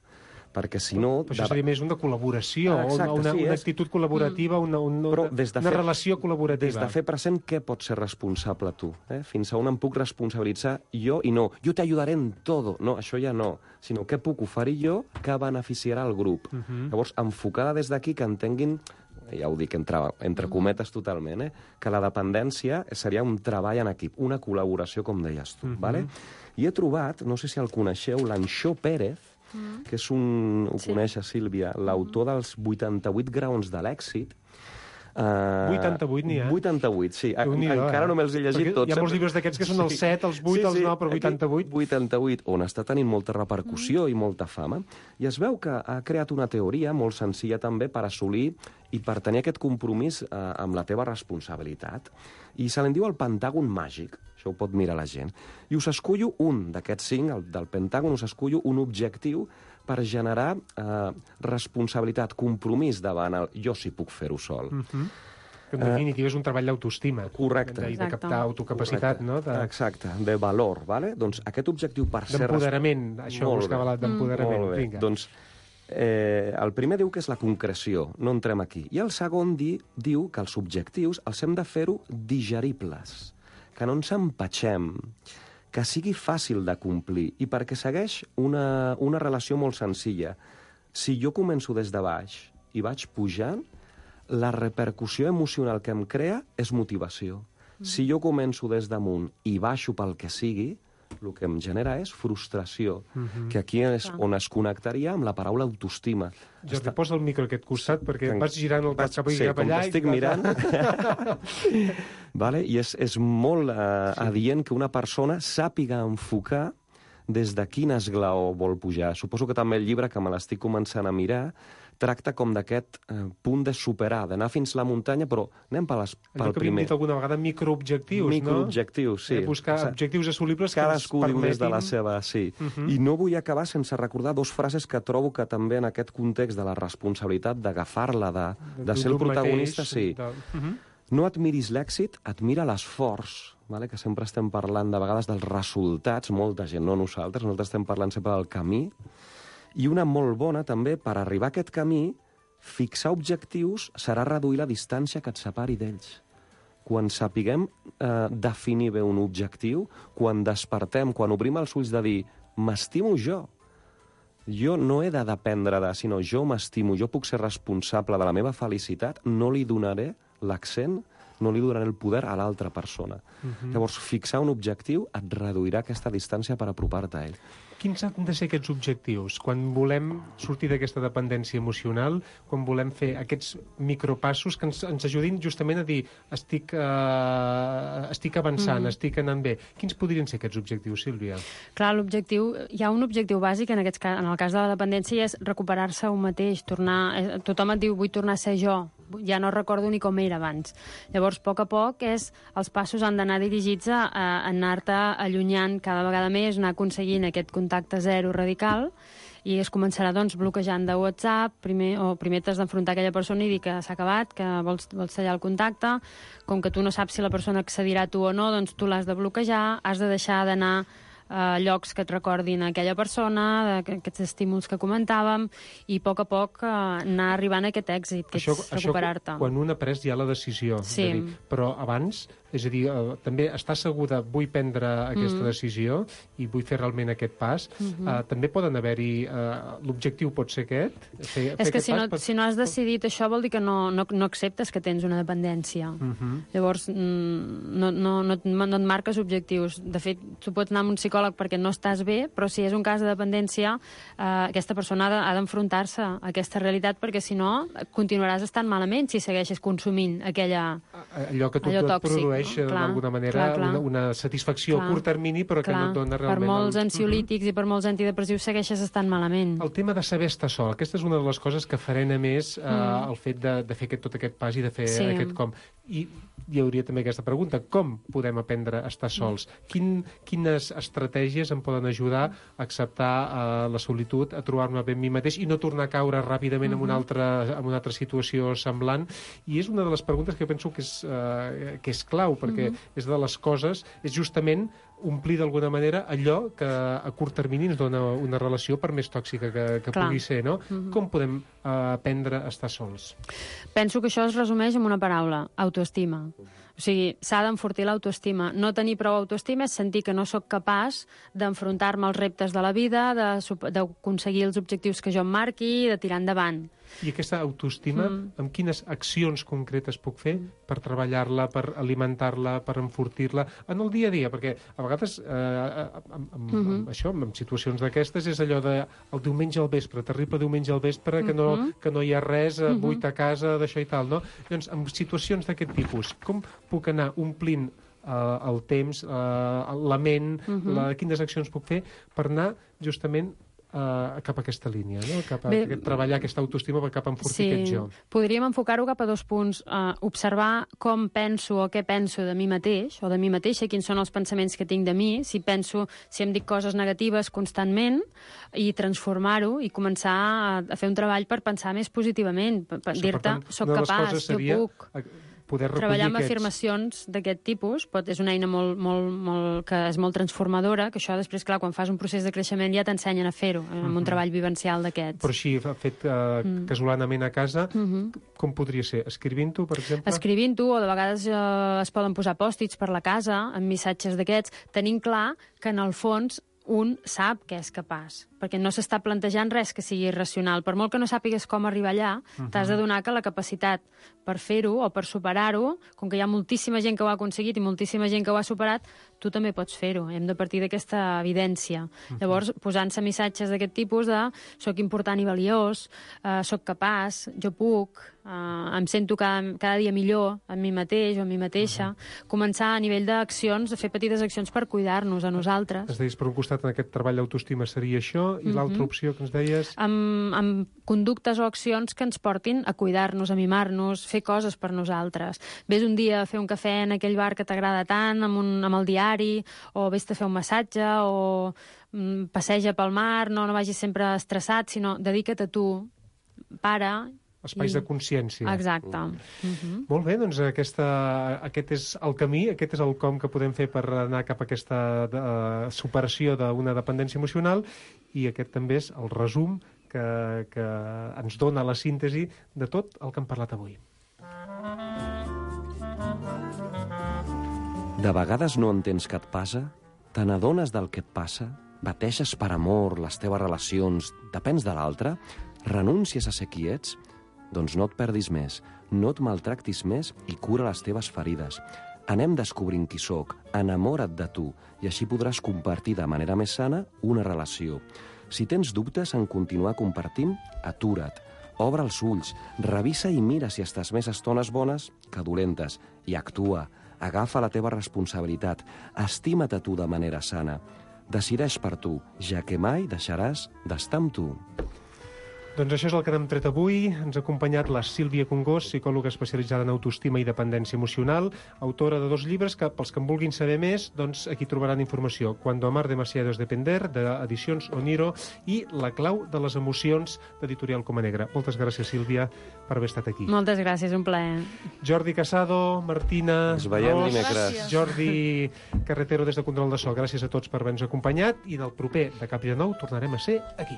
Perquè si no... Però això seria més una col·laboració, ah, exacte, una, sí, una actitud col·laborativa, una, una, una, de una fer, relació col·laborativa. Des de fer present què pots ser responsable tu. Eh? Fins a on em puc responsabilitzar jo i no. Jo t'ajudaré en tot. No, això ja no. Sinó què puc oferir jo que beneficiarà el grup. Uh -huh. Llavors, enfocada des d'aquí, que entenguin, ja ho dic entre, entre cometes totalment, eh? que la dependència seria un treball en equip, una col·laboració, com deies tu. Uh -huh. Vale? I he trobat, no sé si el coneixeu, l'Anxó Pérez, Mm. que és un... ho sí. coneixes, Sílvia, l'autor dels vuitanta-vuit graons de l'èxit. Uh, vuitanta-vuit n'hi ha? vuitanta-vuit, sí. Encara eh? no me'ls he llegit Perquè tots. hi ha molts llibres d'aquests que són els set, els vuit, sí, sí, els nou, però vuitanta-vuit. vuitanta-vuit, on està tenint molta repercussió mm. i molta fama. I es veu que ha creat una teoria molt senzilla també per assolir i per tenir aquest compromís eh, amb la teva responsabilitat. I se l'en diu el pentàgon màgic. Això ho pot mirar la gent. I us escullo un d'aquests cinc, el del pentàgon, us escullo un objectiu per generar eh, responsabilitat, compromís davant el jo sí puc fer-ho sol. Uh -huh. Que en definitiva uh, és un treball d'autoestima. Correcte. De, de captar autocapacitat, correcte. no? De... Exacte, de valor, vale? Doncs aquest objectiu per ser... D'empoderament, això buscava la d'empoderament. Molt bé, Vinga. doncs eh, el primer diu que és la concreció, no entrem aquí. I el segon di, diu que els objectius els hem de fer-ho digeribles, que no ens empatxem, que sigui fàcil de complir, i perquè segueix una, una relació molt senzilla. Si jo començo des de baix i vaig pujant, la repercussió emocional que em crea és motivació. Mm. Si jo començo des damunt i baixo pel que sigui, el que em genera és frustració, mm-hmm. que aquí és on es connectaria amb la paraula autoestima. Jo Està... te poso el micro a aquest costat, perquè que... vas girant el cap cap sí, cap allà... Sí, estic mirant... vale? I és, és molt eh, sí. adient que una persona sàpiga enfocar des de quin esglaó vol pujar. Suposo que també el llibre, que me l'estic començant a mirar, tracta com d'aquest eh, punt de superar, d'anar fins la muntanya, però anem pel, pel primer. Allò que havíem dit alguna vegada, microobjectius, no? Microobjectius, sí. Eh, buscar o sigui, objectius assolibles que ens cadascú diu des de la seva, sí. Uh -huh. I no vull acabar sense recordar dos frases que trobo que també en aquest context de la responsabilitat d'agafar-la, de, de ser el protagonista, mateix, sí. De... Uh -huh. No admiris l'èxit, admira l'esforç, vale? Que sempre estem parlant de vegades dels resultats, molta gent, no nosaltres, nosaltres estem parlant sempre del camí. I una molt bona, també, per arribar a aquest camí, fixar objectius serà reduir la distància que et separi d'ells. Quan sapiguem eh, definir bé un objectiu, quan despertem, quan obrim els ulls de dir m'estimo jo, jo no he de dependre de, sinó jo m'estimo, jo puc ser responsable de la meva felicitat, no li donaré l'accent, no li donaré el poder a l'altra persona. Uh-huh. Llavors, fixar un objectiu et reduirà aquesta distància per apropar-te a ell. Quins han de ser aquests objectius? Quan volem sortir d'aquesta dependència emocional, quan volem fer aquests micropassos que ens, ens ajudin justament a dir estic, uh, estic avançant, mm. estic anant bé. Quins podrien ser aquests objectius, Sílvia? Clar, l'objectiu, hi ha un objectiu bàsic en, aquests, en el cas de la dependència, i és recuperar-se un mateix, tornar... Tothom et diu, vull tornar a ser jo, ja no recordo ni com era abans. Llavors, a poc a poc, és, els passos han d'anar dirigits a, a anar-te allunyant cada vegada més, anar aconseguint aquest contacte zero radical, i es començarà doncs, bloquejant de WhatsApp, primer, o primer t'has d'enfrontar aquella persona i dir que s'ha acabat, que vols, vols tallar el contacte. Com que tu no saps si la persona accedirà a tu o no, doncs tu l'has de bloquejar, has de deixar d'anar eh, llocs que et recordin aquella persona, aquests estímuls que comentàvem, i a poc a poc eh, anar arribant a aquest èxit, que això, és recuperar-te. Quan un ha pres ja la decisió, Sí. de dir, però abans, és a dir, eh, també estar segur de vull prendre aquesta Mm. decisió i vull fer realment aquest pas, Mhm. eh, també poden haver-hi, eh, l'objectiu pot ser aquest? Fer, fer És que aquest si no, pas per- si no has decidit això vol dir que no, no, no acceptes que tens una dependència. Mhm. Llavors, mm, no, no, no, et- no et marques objectius. De fet, tu pots anar amb un psicòleg perquè no estàs bé, però si és un cas de dependència, eh, aquesta persona ha de- ha d'enfrontar-se a aquesta realitat, perquè si no, continuaràs estant malament si segueixes consumint aquella... allò que tu allò et tòxic, produeix, no? eh, Clar, d'alguna manera, clar, clar. Una, una satisfacció Clar. a curt termini, però que Clar, no et dona realment... Per molts el... ansiolítics i per molts antidepressius segueixes estant malament. El tema de saber estar sol, aquesta és una de les coses que frena més eh, Mm. el fet de, de fer aquest, tot aquest pas i de fer Sí. aquest com. I hi hauria també aquesta pregunta, com podem aprendre a estar sols? Quin, quines estratègies em poden ajudar a acceptar eh, la solitud, a trobar-me bé amb mi mateix i no tornar a caure ràpidament en, una altra, en una altra situació semblant? I és una de les preguntes que penso que és, eh, que és clau, perquè Mhm. és de les coses, és justament omplir d'alguna manera allò que a curt termini ens dona una relació, per més tòxica que, que Clar. pugui ser, no? Mhm. Com podem eh, aprendre a estar sols? Penso que això es resumeix en una paraula, autoestima. O sigui, s'ha d'enfortir l'autoestima. No tenir prou autoestima és sentir que no sóc capaç d'enfrontar-me als reptes de la vida, de sup- d'aconseguir els objectius que jo em marqui, de tirar endavant. I aquesta autoestima, Mm. amb quines accions concretes puc fer per treballar-la, per alimentar-la, per enfortir-la en el dia a dia? Perquè a vegades, eh, amb, amb, Mhm. amb això, amb situacions d'aquestes, és allò de el diumenge al vespre, terrible diumenge al vespre, que no, Mhm. que no hi ha res, eh, Mhm. buit a casa, d'això i tal, no? Llavors, en situacions d'aquest tipus, com puc anar omplint eh, el temps, eh, la ment, Mhm. la, quines accions puc fer per anar justament Uh, cap a aquesta línia, no? Cap a Bé, aquest, treballar aquesta autoestima per cap a enfortir aquest jo. Podríem enfocar-ho cap a dos punts. Uh, observar com penso o què penso de mi mateix, o de mi mateixa, quins són els pensaments que tinc de mi, si penso, si em dic coses negatives constantment, i transformar-ho i començar a, a fer un treball per pensar més positivament, per, per Això, dir-te, tant, soc una de les capaç, coses seria jo puc. poder recollir Treballar amb aquests... afirmacions d'aquest tipus pot, és una eina molt, molt, molt, que és molt transformadora, que això després, clar, quan fas un procés de creixement ja t'ensenyen a fer-ho, amb Mhm. un treball vivencial d'aquests. Però així, fet uh, Mm. casolanament a casa, Mhm. com podria ser? Escrivint-ho, per exemple? Escrivint-ho, o de vegades eh, es poden posar pòstits per la casa, amb missatges d'aquests, tenint clar que en el fons un sap que és capaç, perquè no s'està plantejant res que sigui irracional. Per molt que no sàpigues com arribar allà, Mhm. t'has de donar que la capacitat per fer-ho o per superar-ho, com que hi ha moltíssima gent que ho ha aconseguit i moltíssima gent que ho ha superat, tu també pots fer-ho. Hem de partir d'aquesta evidència. Mhm. Llavors, posant-se missatges d'aquest tipus de soc important i valiós, eh, soc capaç, jo puc, eh, em sento cada, cada dia millor amb mi mateix o amb mi mateixa, començar a nivell d'accions, a fer petites accions per cuidar-nos a nosaltres. Ens deies, per un costat, en aquest treball d'autoestima seria això, i Mhm. l'altra opció que ens deies... Amb, amb conductes o accions que ens portin a cuidar-nos, a mimar-nos, fer coses per nosaltres. Ves un dia a fer un cafè en aquell bar que t'agrada tant, amb, un, amb el diari, o vés-te a fer un massatge, o mm, passeja pel mar, no, no vagis sempre estressat, sinó dedica't a tu, para... Espais i- de consciència. Exacte. Mhm. Molt bé, doncs aquesta, aquest és el camí, aquest és el com que podem fer per anar cap a aquesta de, superació d'una dependència emocional, i aquest també és el resum que, que ens dona la síntesi de tot el que hem parlat avui. De vegades no entens què et passa, te n'adones del que et passa, bateixes per amor les teves relacions, depens de l'altre, renúncies a ser qui ets, doncs no et perdis més, no et maltractis més i cura les teves ferides. Anem descobrint qui sóc, enamora't de tu, i així podràs compartir de manera més sana una relació. Si tens dubtes en continuar compartint, atura't, obre els ulls, revisa i mira si estàs més estones bones que dolentes, i actua, agafa la teva responsabilitat, estima't a tu de manera sana, decideix per tu, ja que mai deixaràs d'estar amb tu. Doncs això és el que n'hem tret avui. Ens ha acompanyat la Sílvia Congós, psicòloga especialitzada en autoestima i dependència emocional, autora de dos llibres que, pels que en vulguin saber més, doncs aquí trobaran informació. Cuando amar demasiado es depender, d'Edicions Oniro, i La clau de les emocions, d'Editorial Coma Negra. Moltes gràcies, Sílvia, per haver estat aquí. Moltes gràcies, un plaer. Jordi Casado, Martina... Ens veiem Ros, dimecres. Jordi Carretero des de Control de So. Gràcies a tots per haver-nos acompanyat i del proper de Cap i de Nou tornarem a ser aquí.